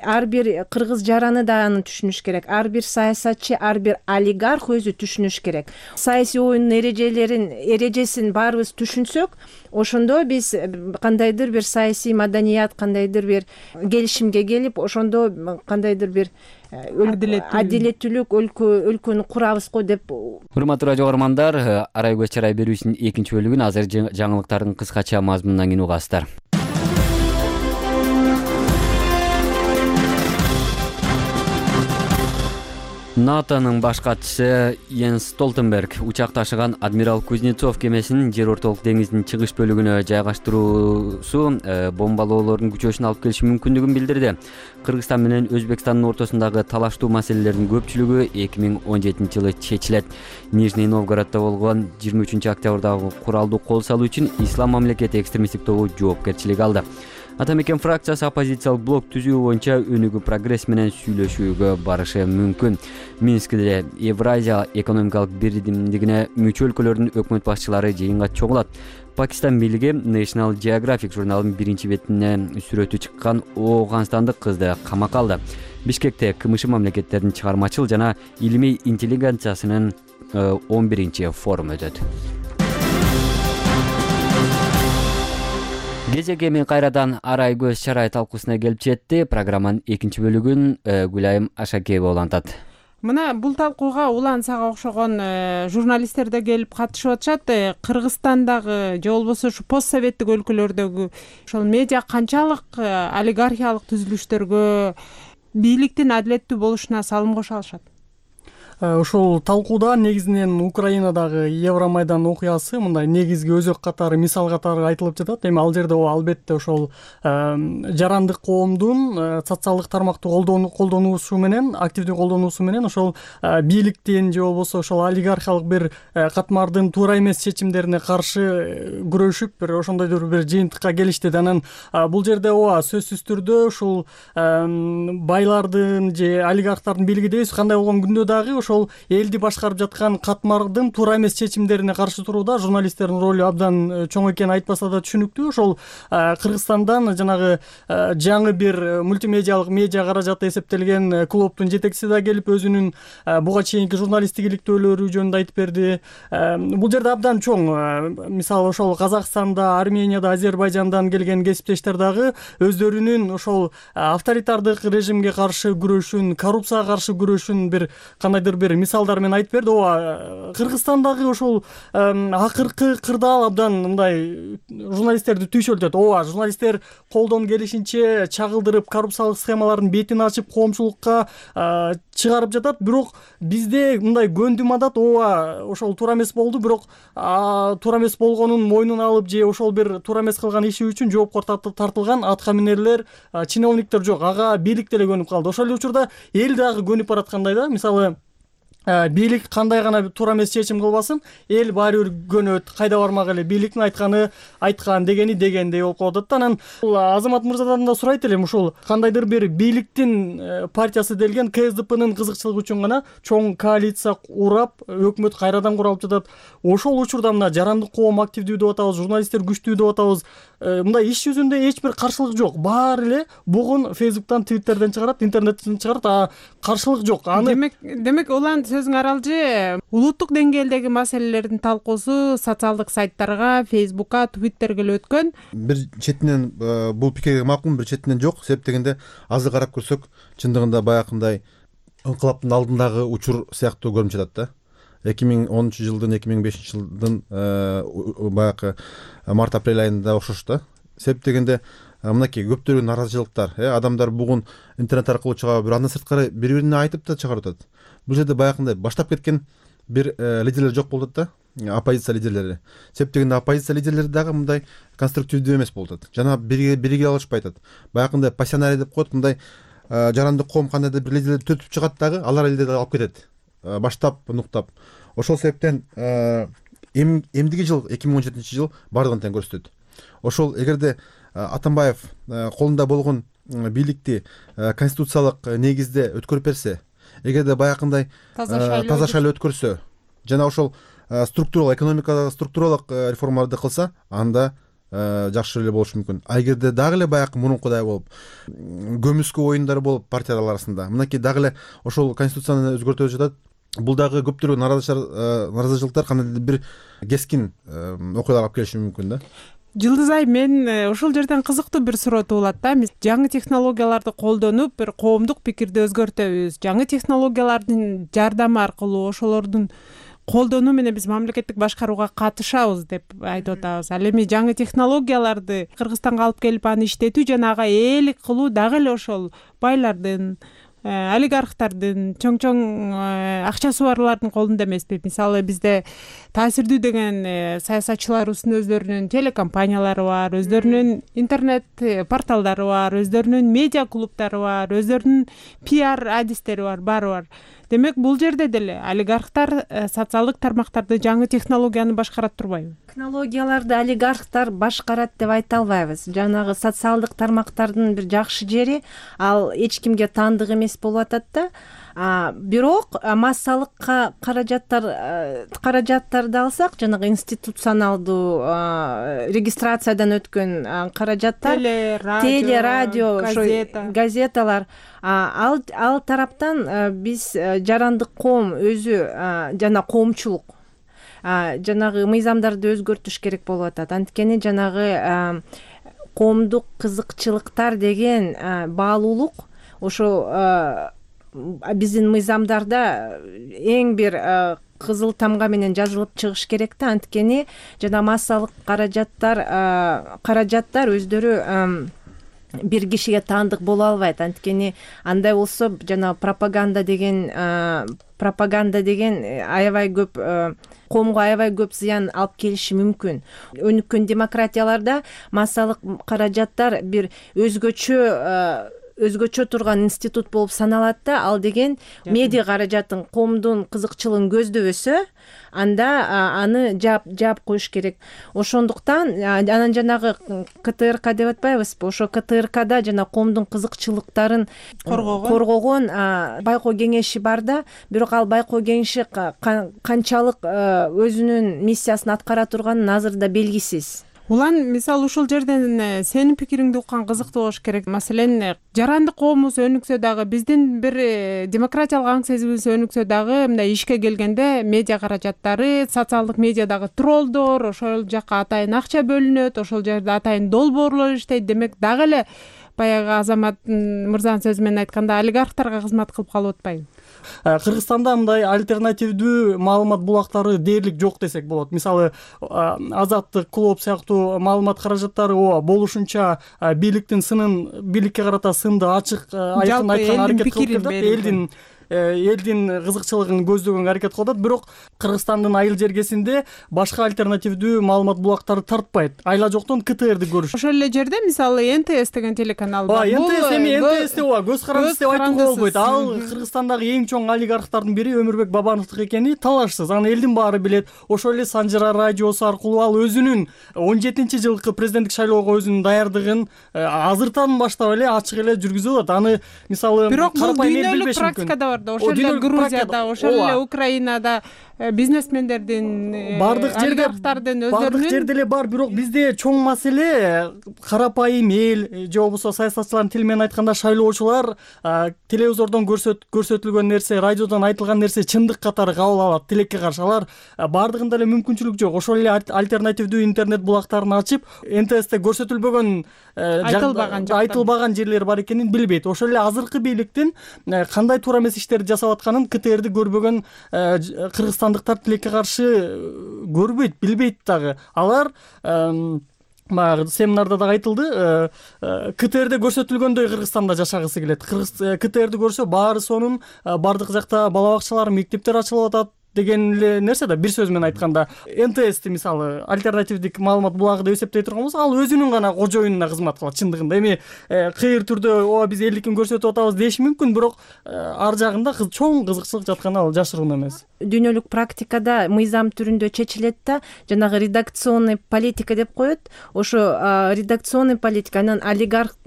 Ар бир кыргыз жараны да аны түшүнүш керек. Ар бир саясатчы, ар бир олигарх өзү түшүнүш керек. Саясий оюндун эрежесин баарыбыз түшүнсөк, ошондо биз кандайдыр бир саясий маданият, кандайдыр бир келишимге келип, ошондо кандайдыр бир адилеттүүлүк өлкөнү курабыз го деп. Урматтуу радио көрөрмандар, Арай көз чарай берүүсүнүн экинчи бөлүгүн азыр жаңылыктардын кыскача мазмунунан кийин угасыздар. НАТОнун баш катчысы Йенс Столтенберг учак ташыган Адмирал Кузнецов кемесинин жер ортолук деңиздин чыгыш бөлүгүнө жайгаштыруусу бомбалоолордун күчөшүн алып келиши мүмкүндүгүн билдирди. Кыргызстан менен Өзбекстандын ортосундагы талаштуу маселелердин көпчүлүгү 2017-жылы чечилет. Нижний Новгороддо болгон 23-октябрдагы куралдуу кол салуу үчүн Ислам мамлекети экстремисттик тобу жоопкерчилик алды. Атамекен фракциясы оппозициялык блок түзүү боюнча өнүгүү прогресс менен сүйлөшүүгө барышы мүмкүн. Минскиде Евразия экономикалык бирдимдигине мүчө өлкөлөрдүн өкмөт башчылары жыйынга чогулат. Пакистан бийлиги National Geographic журналынын биринчи бетине сүрөтү чыккан Ооганстандык кызды камакка алды. Бишкекте КМШ мамлекеттердин чыгармачыл жана илимий интеллигенциясынын 11-чи форуму өтөт. Кезек эми кайрадан Арай көз чарай талкуусуна келип жетти. Программанын экинчи бөлүгүн Гүлайым Ашакеева улантат. Мына бул талкууга улан сага окшогон журналисттер да келип катышып атышат. Кыргызстандагы же болбосо ушу постсоветтик өлкөлөрдөгү ошол медиа канчалык олигархиялык түзүлүштөргө, бийликтин адилеттүү болушуна салым кошо алышат? Ушул талкууда негизинен Украинадагы Евромайдан окуясы мындай негизги өзөк катары, мисал катары айтылып жатат. Эми ал жерде албетте ошол жарандык коомдун социалдык тармакты колдонуусу менен, активдүү колдонуусу менен ошол бийликтин же болбосо ошол олигархиялык бир катмардын туура эмес чечимдерине каршы күрөшүп, бир ошондойдур бир жыйынтыкка келишти. Анан бул жерде ооба сөзсүз түрдө ушул байлардын же олигархтардын бийлиги дейбиз, кандай болгон күндө дагы ошол элди башкарып жаткан катмардын туура эмес чечимдерине каршы турууда журналисттердин ролу абдан чоң экени айтпаса да түшүнүктүү. Ошол Кыргызстандан жанагы жаңы бир мультимедиалык медиа каражаты эсептелген клубтун жетекчиси да келип өзүнүн буга чейинки журналисттик иликтөөлөрү жөнүндө айтып берди. Бул жерде абдан чоң, мисалы ошол Казакстанда, Арменияда, Азербайжандан келген кесиптештер дагы өздөрүнүн ошол авторитардык режимге каршы күрөшүн, коррупцияга каршы күрөшүн бир кандайдыр бир мисалдар менен айтып берди. Ооба, Кыргызстандагы ошол акыркы кырдаал абдан мындай журналисттерди түйшөлтөт. Ооба, журналисттер колдон келишинче чагылдырып, коррупциялык схемалардын бетин ачып, коомчулукка чыгарып жатат. Бирок бизде мындай көндүм адат, ооба, ошол туура эмес болду, бирок туура эмес болгонун мойнуна алып же ошол бир туура эмес кылган иши үчүн жоопко тартылган атка минерлер, чиновниктер жок. Ага бийлик деле көнүп калды. Ошол эле учурда эл дагы көнүп бараткандай да. Мисалы бийлик кандай гана туура эмес чечим кылбасын, эл баары бир көнөт, кайда бармак эле, бийликтин айтканы айткан, дегени дегендей болуп калып атат да. Анан Азамат мырзадан да сурайт элем, ушул кандайдыр бир бийликтин партиясы делген КСДПнын кызыкчылыгы үчүн гана чоң коалиция урап, өкмөт кайрадан куралып жатат. Ошол учурда мына жарандык коом активдүү деп атабыз, журналисттер күчтүү деп атабыз. Мындай иш жүзүндө эч бир каршылык жок. Баары эле бугун Фейсбуктан, Твиттерден чыгарат, интернеттен чыгарат, каршылык жок. Демек улан сөзүң аралжы, улуттук деңгээлдеги маселелердин талкуусу социалдык сайттарга, Фейсбукка, Твиттерге эле өткөн. Бир четинен бул пикирге макул, бир четинен жок. Себеп дегенде азыр карап көрсөк, чындыгында баягындай ыңкылаптын алдындагы учур сыяктуу көрүнүп жатат да. 2010 жылдын 2005 жылдын баягы март-апрель айында окшош да. Себеп дегенде мынакей көптөгөн наразычылыктар, адамдар бугун интернет аркылуу чыгып, бир андан сырткары бири-бирине айтып да чыгарып атат. Бул жерде баягындай баштап кеткен бир лидерлер жок болуп атат да, оппозиция лидерлери. Себеп дегенде оппозиция лидерлери дагы мындай конструктивдүү эмес болуп атат. Жана бириге алышпай атат. Баягындай пассионарий деп коет, мындай жарандык коом кандайдыр бир лидерлер төтүп чыгат дагы, алар элдерди алып кетет. Баштап, нуктап. Ошол себептен эмдиги жыл 2017 жыл бардыгын тең көрсөтөт. Ошол эгерде Атамбаев колунда болгон бийликти конституциялык негизде өткөрүп берсе, эгерде баягындай таза шайлоо өткөрсө, жана ошол структуралык, экономикадагы структуралык реформаларды кылса, анда жакшы эле болушу мүмкүн. А эгерде дагы эле баягы мурункудай болуп, көмүскө оюндар болуп партиялар арасында, мынакей дагы эле ошол конституцияны өзгөртүп жатат. Бул дагы көптөгөн наразычылыктар кандайдыр бир кескин окуялар алып келиши мүмкүн да. Жылдыз Ай, мен ушул жерден кызыктуу бир суроо туулат да. Биз жаңы технологияларды колдонуп, бир коомдук пикирди өзгөртөбүз. Жаңы технологиялардын жардамы аркылуу ошолордун колдонуу менен биз мамлекеттик башкарууга катышабыз деп айтып атабыз. Ал эми жаңы технологияларды Кыргызстанга алып келип аны иштетүү жана ага ээлик кылуу дагы эле ошол байлардын, олигархтардын, чоң акчасы барлардын колунда эмеспи? Мисалы бизде таасирдүү деген саясатчыларыбыздын өздөрүнүн телекомпаниялары бар, өздөрүнүн интернет порталдары бар, өздөрүнүн медиа клубтары бар, өздөрүнүн пиар адистери бар, баары бар. Демек бул жерде деле олигархтар социалдык тармактарды, жаңы технологияны башкарат турбайбы? Технологияларды олигархтар башкарат деп айта албайбыз. Жанагы социалдык тармактардын бир жакшы жери, ал эч кимге таандык эмес болуп атат да. Бирок массалык каражаттарды алсак, жанагы институционалдуу регистрациядан өткөн каражаттар, теле, радио, газеталар, ал тараптан биз жарандык коом өзү жана коомчулук жанагы мыйзамдарды өзгөртүш керек болуп атат. Анткени жанагы коомдук кызыкчылыктар деген баалуулук ошо биздин мыйзамдарда эң бир кызыл тамга менен жазылып чыгыш керек да. Анткени жана массалык каражаттар өздөрү бир кишиге таандык боло албайт. Анткени андай болсо жана пропаганда деген аябай көп коомго аябай көп зыян алып келиши мүмкүн. Өнүккөн демократияларда массалык каражаттар бир өзгөчө турган институт болуп саналат да. Ал деген медиа каражатын, коомдун кызыкчылыгын көздөбөсө, анда аны жаап коюш керек. Ошондуктан анан жанагы КТРК деп атпайбызбы? Ошо КТРКда жана коомдун кызыкчылыктарын коргогон байкоо кеңеши бар да. Бирок ал байкоо кеңеши канчалык өзүнүн миссиясын аткара турганы азырда белгисиз. Улан, мисалы ушул жерден сенин пикириңди уккан кызыктуу болуш керек. Маселен, жарандык коомубуз өнүксө дагы, биздин бир демократиялык аң сезимибиз өнүксө дагы, мындай ишке келгенде медиа каражаттары, социалдык медиадагы троллдор, ошол жакка атайын акча бөлүнөт, ошол жерде атайын долбоорлор иштейт. Демек дагы эле баягы Азамат мырзанын сөзү менен айтканда олигархтарга кызмат кылып калып атпайбы? Кыргызстанда мындай альтернативдүү маалымат булактары дээрлик жок десек болот. Мисалы, Азаттык, Клуб сыяктуу маалымат каражаттары болушунча бийликтин сынын, бийликке карата сынды ачык айткан аракет кылып келет. элдин кызыкчылыгын көздөгөнгө аракет кылып атат. Бирок Кыргызстандын айыл жергесинде башка альтернативдүү маалымат булактары тартпайт. Айла жоктон КТРди көрүш. Ошол эле жерде мисалы НТС деген телеканал бар. НТС эми НТС деп көз карандысы деп айтууга болбойт. Ал Кыргызстандагы эң чоң олигархтардын бири Өмүрбек Бабановдук экени талашсыз. Аны элдин баары билет. Ошол эле Санжара радиосу аркылуу ал өзүнүн 17-жылкы президенттик шайлоого өзүнүн даярдыгын азыртан баштап эле ачык эле жүргүзүп атат. Аны мисалы бирок бул дүйнөлүк практикада бар да. Ошол эле Грузияда, ошол эле Украинада бизнесмендердин бардык жерде эле бар. Бирок бизде чоң маселе карапайым эл же болбосо саясатчылардын тили менен айтканда шайлоочулар телевизордон көрсөтүлгөн нерсе, радиодон айтылган нерсе чындык катары кабыл алат. Тилекке каршы алар бардыгында эле мүмкүнчүлүк жок. Ошол эле альтернативдүү интернет булактарын ачып, НТСте көрсөтүлбөгөн айтылбаган жерлер бар экенин билбейт. Ошол эле азыркы бийликтин кандай туура эмес иштерди жасап атканын КТРди көрбөгөн кыргызстандыктар тилекке каршы көрбөйт, билбейт дагы. Алар баягы семинарда дагы айтылды, КТРде көрсөтүлгөндөй Кыргызстанда жашагысы келет. КТРди көрсө баары сонун, бардык жакта бала бакчалар, мектептер ачылып атат деген эле нерсе да. Бир сөз менен айтканда НТСти мисалы альтернативдик маалымат булагы деп эсептей турган болсок, ал өзүнүн гана кожоюнуна кызмат кылат чындыгында. Эми кыйыр түрдө ооба биз элдикин көрсөтүп атабыз деш мүмкүн, бирок ар жагында чоң кызыкчылык жатканы ал жашыруун эмес. Дүйнөлүк практикада мыйзам түрүндө чечилет да, жанагы редакционный политика деп коет. Ошо редакционный политика анан олигарх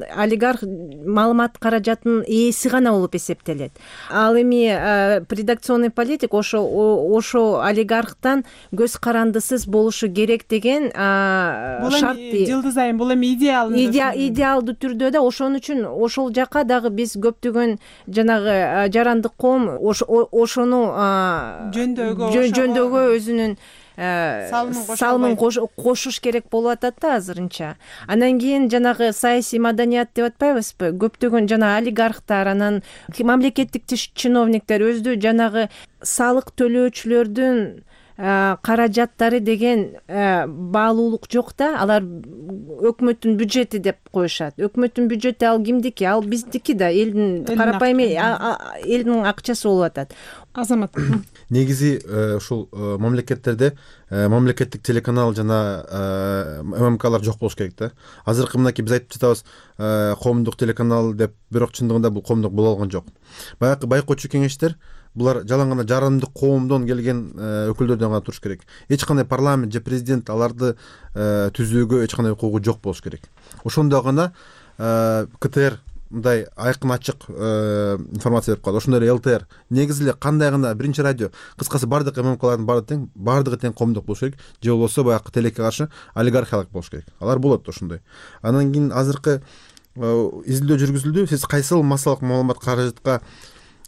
маалымат каражатынын ээси гана болуп эсептелет. Ал эми редакционный политик ошо олигархтан көз карандысыз болушу керек деген шарт. Жылдыз айым, бул эми идеалдуу түрдө да. Ошон үчүн ошол жака дагы биз көптөгөн жанагы жарандык коом ошону жөндөөгө өзүнүн салымын кошуш керек болуп атат да азырынча. Анан кийин жанагы саясий маданият деп атпайбызбы? Көптөгөн жана олигархтар, анан мамлекеттик чиновниктер өзү жанагы салык төлөөчүлөрдүн каражаттары деген баалуулук жок да. Алар өкмөттүн бюджети деп коюшат. Өкмөттүн бюджети ал кимдики? Ал биздики да. Элдин карапайым элдин акчасы болуп атат. Азамат. Негизи ушул мамлекеттерде мамлекеттик телеканал жана ММКлар жок болуш керек да. Азыркы мынакей биз айтып жатабыз коомдук телеканал деп, бирок чындыгында бул коомдук боло алган жок. Баягы байкоочу кеңештер булар жалаң гана жарандык коомдон келген өкүлдөрдөн гана туруш керек. Эч кандай парламент же президент аларды түзүүгө эч кандай укугу жок болуш керек. Ошондо гана КТР мындай айкын ачык информация берип калат. Ошондой эле ЛТР негизи эле кандай гана биринчи радио, кыскасы бардык ММКлардын бардыгы тең коомдук болуш керек, же болбосо баягы тилекке каршы олигархиялык болуш керек. Алар болот ошондой. Анан кийин азыркы изилдөө жүргүзүлдү. Сиз кайсыл массалык маалымат каражатка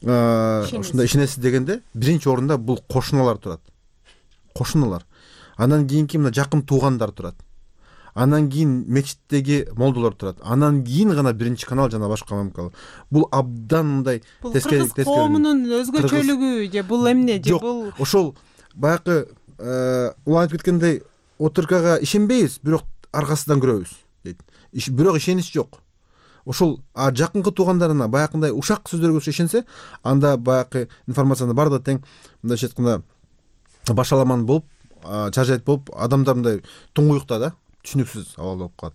ушундай ишенесиз дегенде, биринчи орунда бул кошуналар турат. Кошуналар. Анан кийинки мына жакын туугандар турат. Анан кийин мечиттеги молдолор турат. Анан кийин гана биринчи канал жана башка ММК. Бул абдан мындай тескери коомунун өзгөчөлүгү же бул эмне же бул ошол баягы улам айтып кеткендей ОТРКга ишенбейбиз, бирок аркасынан көрөбүз дейт. Бирок ишенич жок. Ошол жакынкы туугандарына баягындай ушак сөздөргө ишенсе, анда баягы информацияны бардыгы тең мындайча айтканда башаламан болуп, чаржайт болуп, адамдар мындай туңгуюкта да, түшүнүксүз абал болуп калат.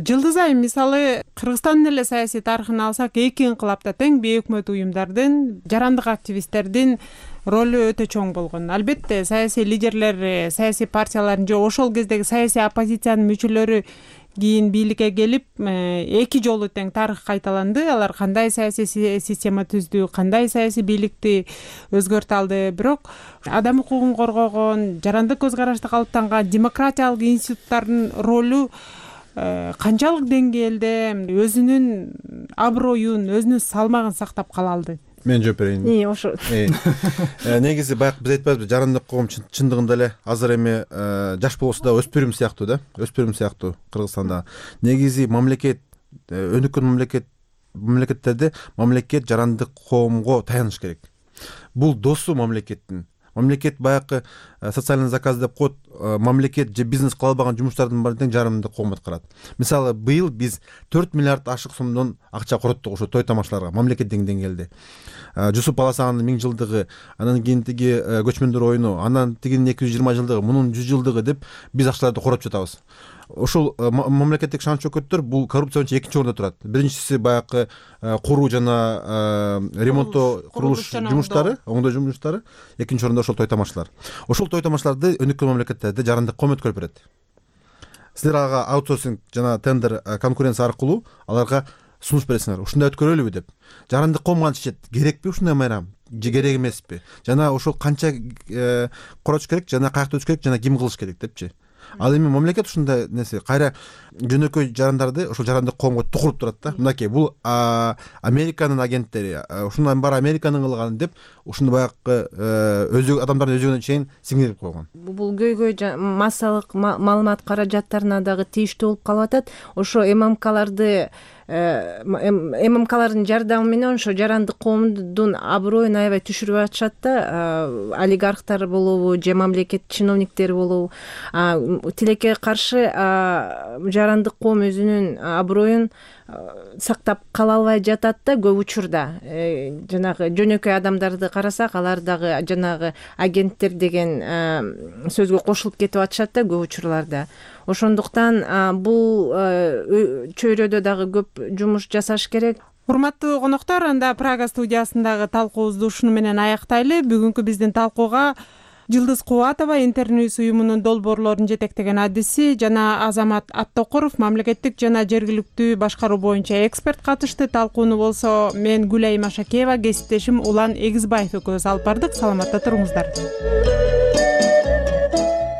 Жылдыз айым, мисалы Кыргызстандын эле саясий тарыхын алсак, эки инкылапта тең бейөкмөт уюмдардын, жарандык активисттердин ролу өтө чоң болгон. Албетте саясий лидерлер, саясий партиялардын же ошол кездеги саясий оппозициянын мүчөлөрү кийин бийликке келип, эки жолу тең тарых кайталанды. Алар кандай саясий система түздү, кандай саясий бийликти өзгөртө алды. Бирок адам укугун коргогон, жарандык көз карашты калыптанган демократиялык институттардын ролу канчалык деңгээлде өзүнүн аброюн, өзүнүн салмагын сактап кала алды? Мен жооп берейин. Ошо. Негизи баягы биз айтпайбызбы, жарандык коом чындыгында эле азыр эми жаш болбосо да өспүрүм сыяктуу да, өспүрүм сыяктуу Кыргызстанда. Негизи мамлекет, өнүккөн мамлекеттерде мамлекет жарандык коомго таяныш керек. Бул досу мамлекеттин. Мамлекет баягы социальный заказ деп коет, мамлекет же бизнес кыла албаган жумуштардын баарын тең жарымды коомат карат. Мисалы быйыл биз 4 миллиард ашык сомдон акча короттук ошо той тамашаларга мамлекеттик деңгээлде. Жусуп Баласагандын 1000 жылдыгы, анан кийин тиги көчмөндөр оюну, анан тигинин 220 жылдыгы, мунун 100 жылдыгы деп биз акчаларды короп жатабыз. Ошол мамлекеттик шан чөкөттөр бул коррупция боюнча экинчи орунда турат. Биринчиси баягы куруу жана ремонттоо, курулуш жумуштары, оңдоо жумуштары, экинчи орунда ошол той тамашалар. Ошол той тамашаларды өнүккөн мамлекеттерде жарандык коом өткөрүп берет. Силер ага аутсорсинг жана тендер конкуренция аркылуу аларга сунуш бересиңер. Ушундай өткөрөлүбү деп. Жарандык коом антишет. Керекпи ушундай майрам? Же керек эмеспи? Жана ошол канча коротуш керек, жана каякта өтүш керек, жана ким кылыш керек депчи. Ал эми мамлекет ушундай нерсе кайра жөнөкөй жарандарды ошол жарандык коомго тукуруп турат да. Мынакей бул Американын агенттери, ушундан баары Американын кылганы деп ушуну баягы өзү адамдардын өзүгүнө чейин сиңирип койгон. Бул көйгөй массалык маалымат каражаттарына дагы тийиштүү болуп калып атат. Ошо ММКлардын жардамы менен ошо жарандык коомдун аброюн аябай түшүрүп атышат да. Олигархтар болобу же мамлекет чиновниктери болобу, тилекке каршы жарандык коом өзүнүн аброюн сактап кала албай жатат да көп учурда. Жанагы жөнөкөй адамдарды карасак, алар дагы жанагы агенттер деген сөзгө кошулуп кетип атышат да көп учурларда. Ошондуктан бул чөйрөдө дагы көп жумуш жасаш керек. Урматтуу коноктор, анда Прага студиясындагы талкуубузду ушуну менен аяктайлы. Бүгүнкү биздин талкууга Жылдыз Кубатова, Интерньюз уюмунун долбоорлорун жетектеген адиси, жана Азамат Аттокуров, мамлекеттик жана жергиликтүү башкаруу боюнча эксперт катышты. Талкууну болсо мен Гүлай Машакеева, кесиптешим Улан Эгизбаев экөөбүз алып бардык. Саламатта туруңуздар.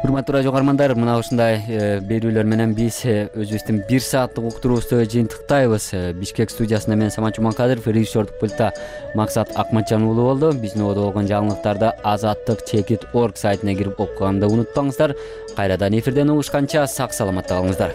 Урматтуу радио каармандар, мына ушундай берүүлөр менен биз өзүбүздүн 1 сааттык уктуруубузду жыйынтыктайбыз. Бишкек студиясында мен Самат Жуманкадыров, режиссердук пультта Максат Акматжан уулу болду. Биздин ободо болгон жаңылыктарды azattik.org сайтына кирип окуганды унутпаңыздар. Кайрадан эфирден угушканча сак саламатта калыңыздар.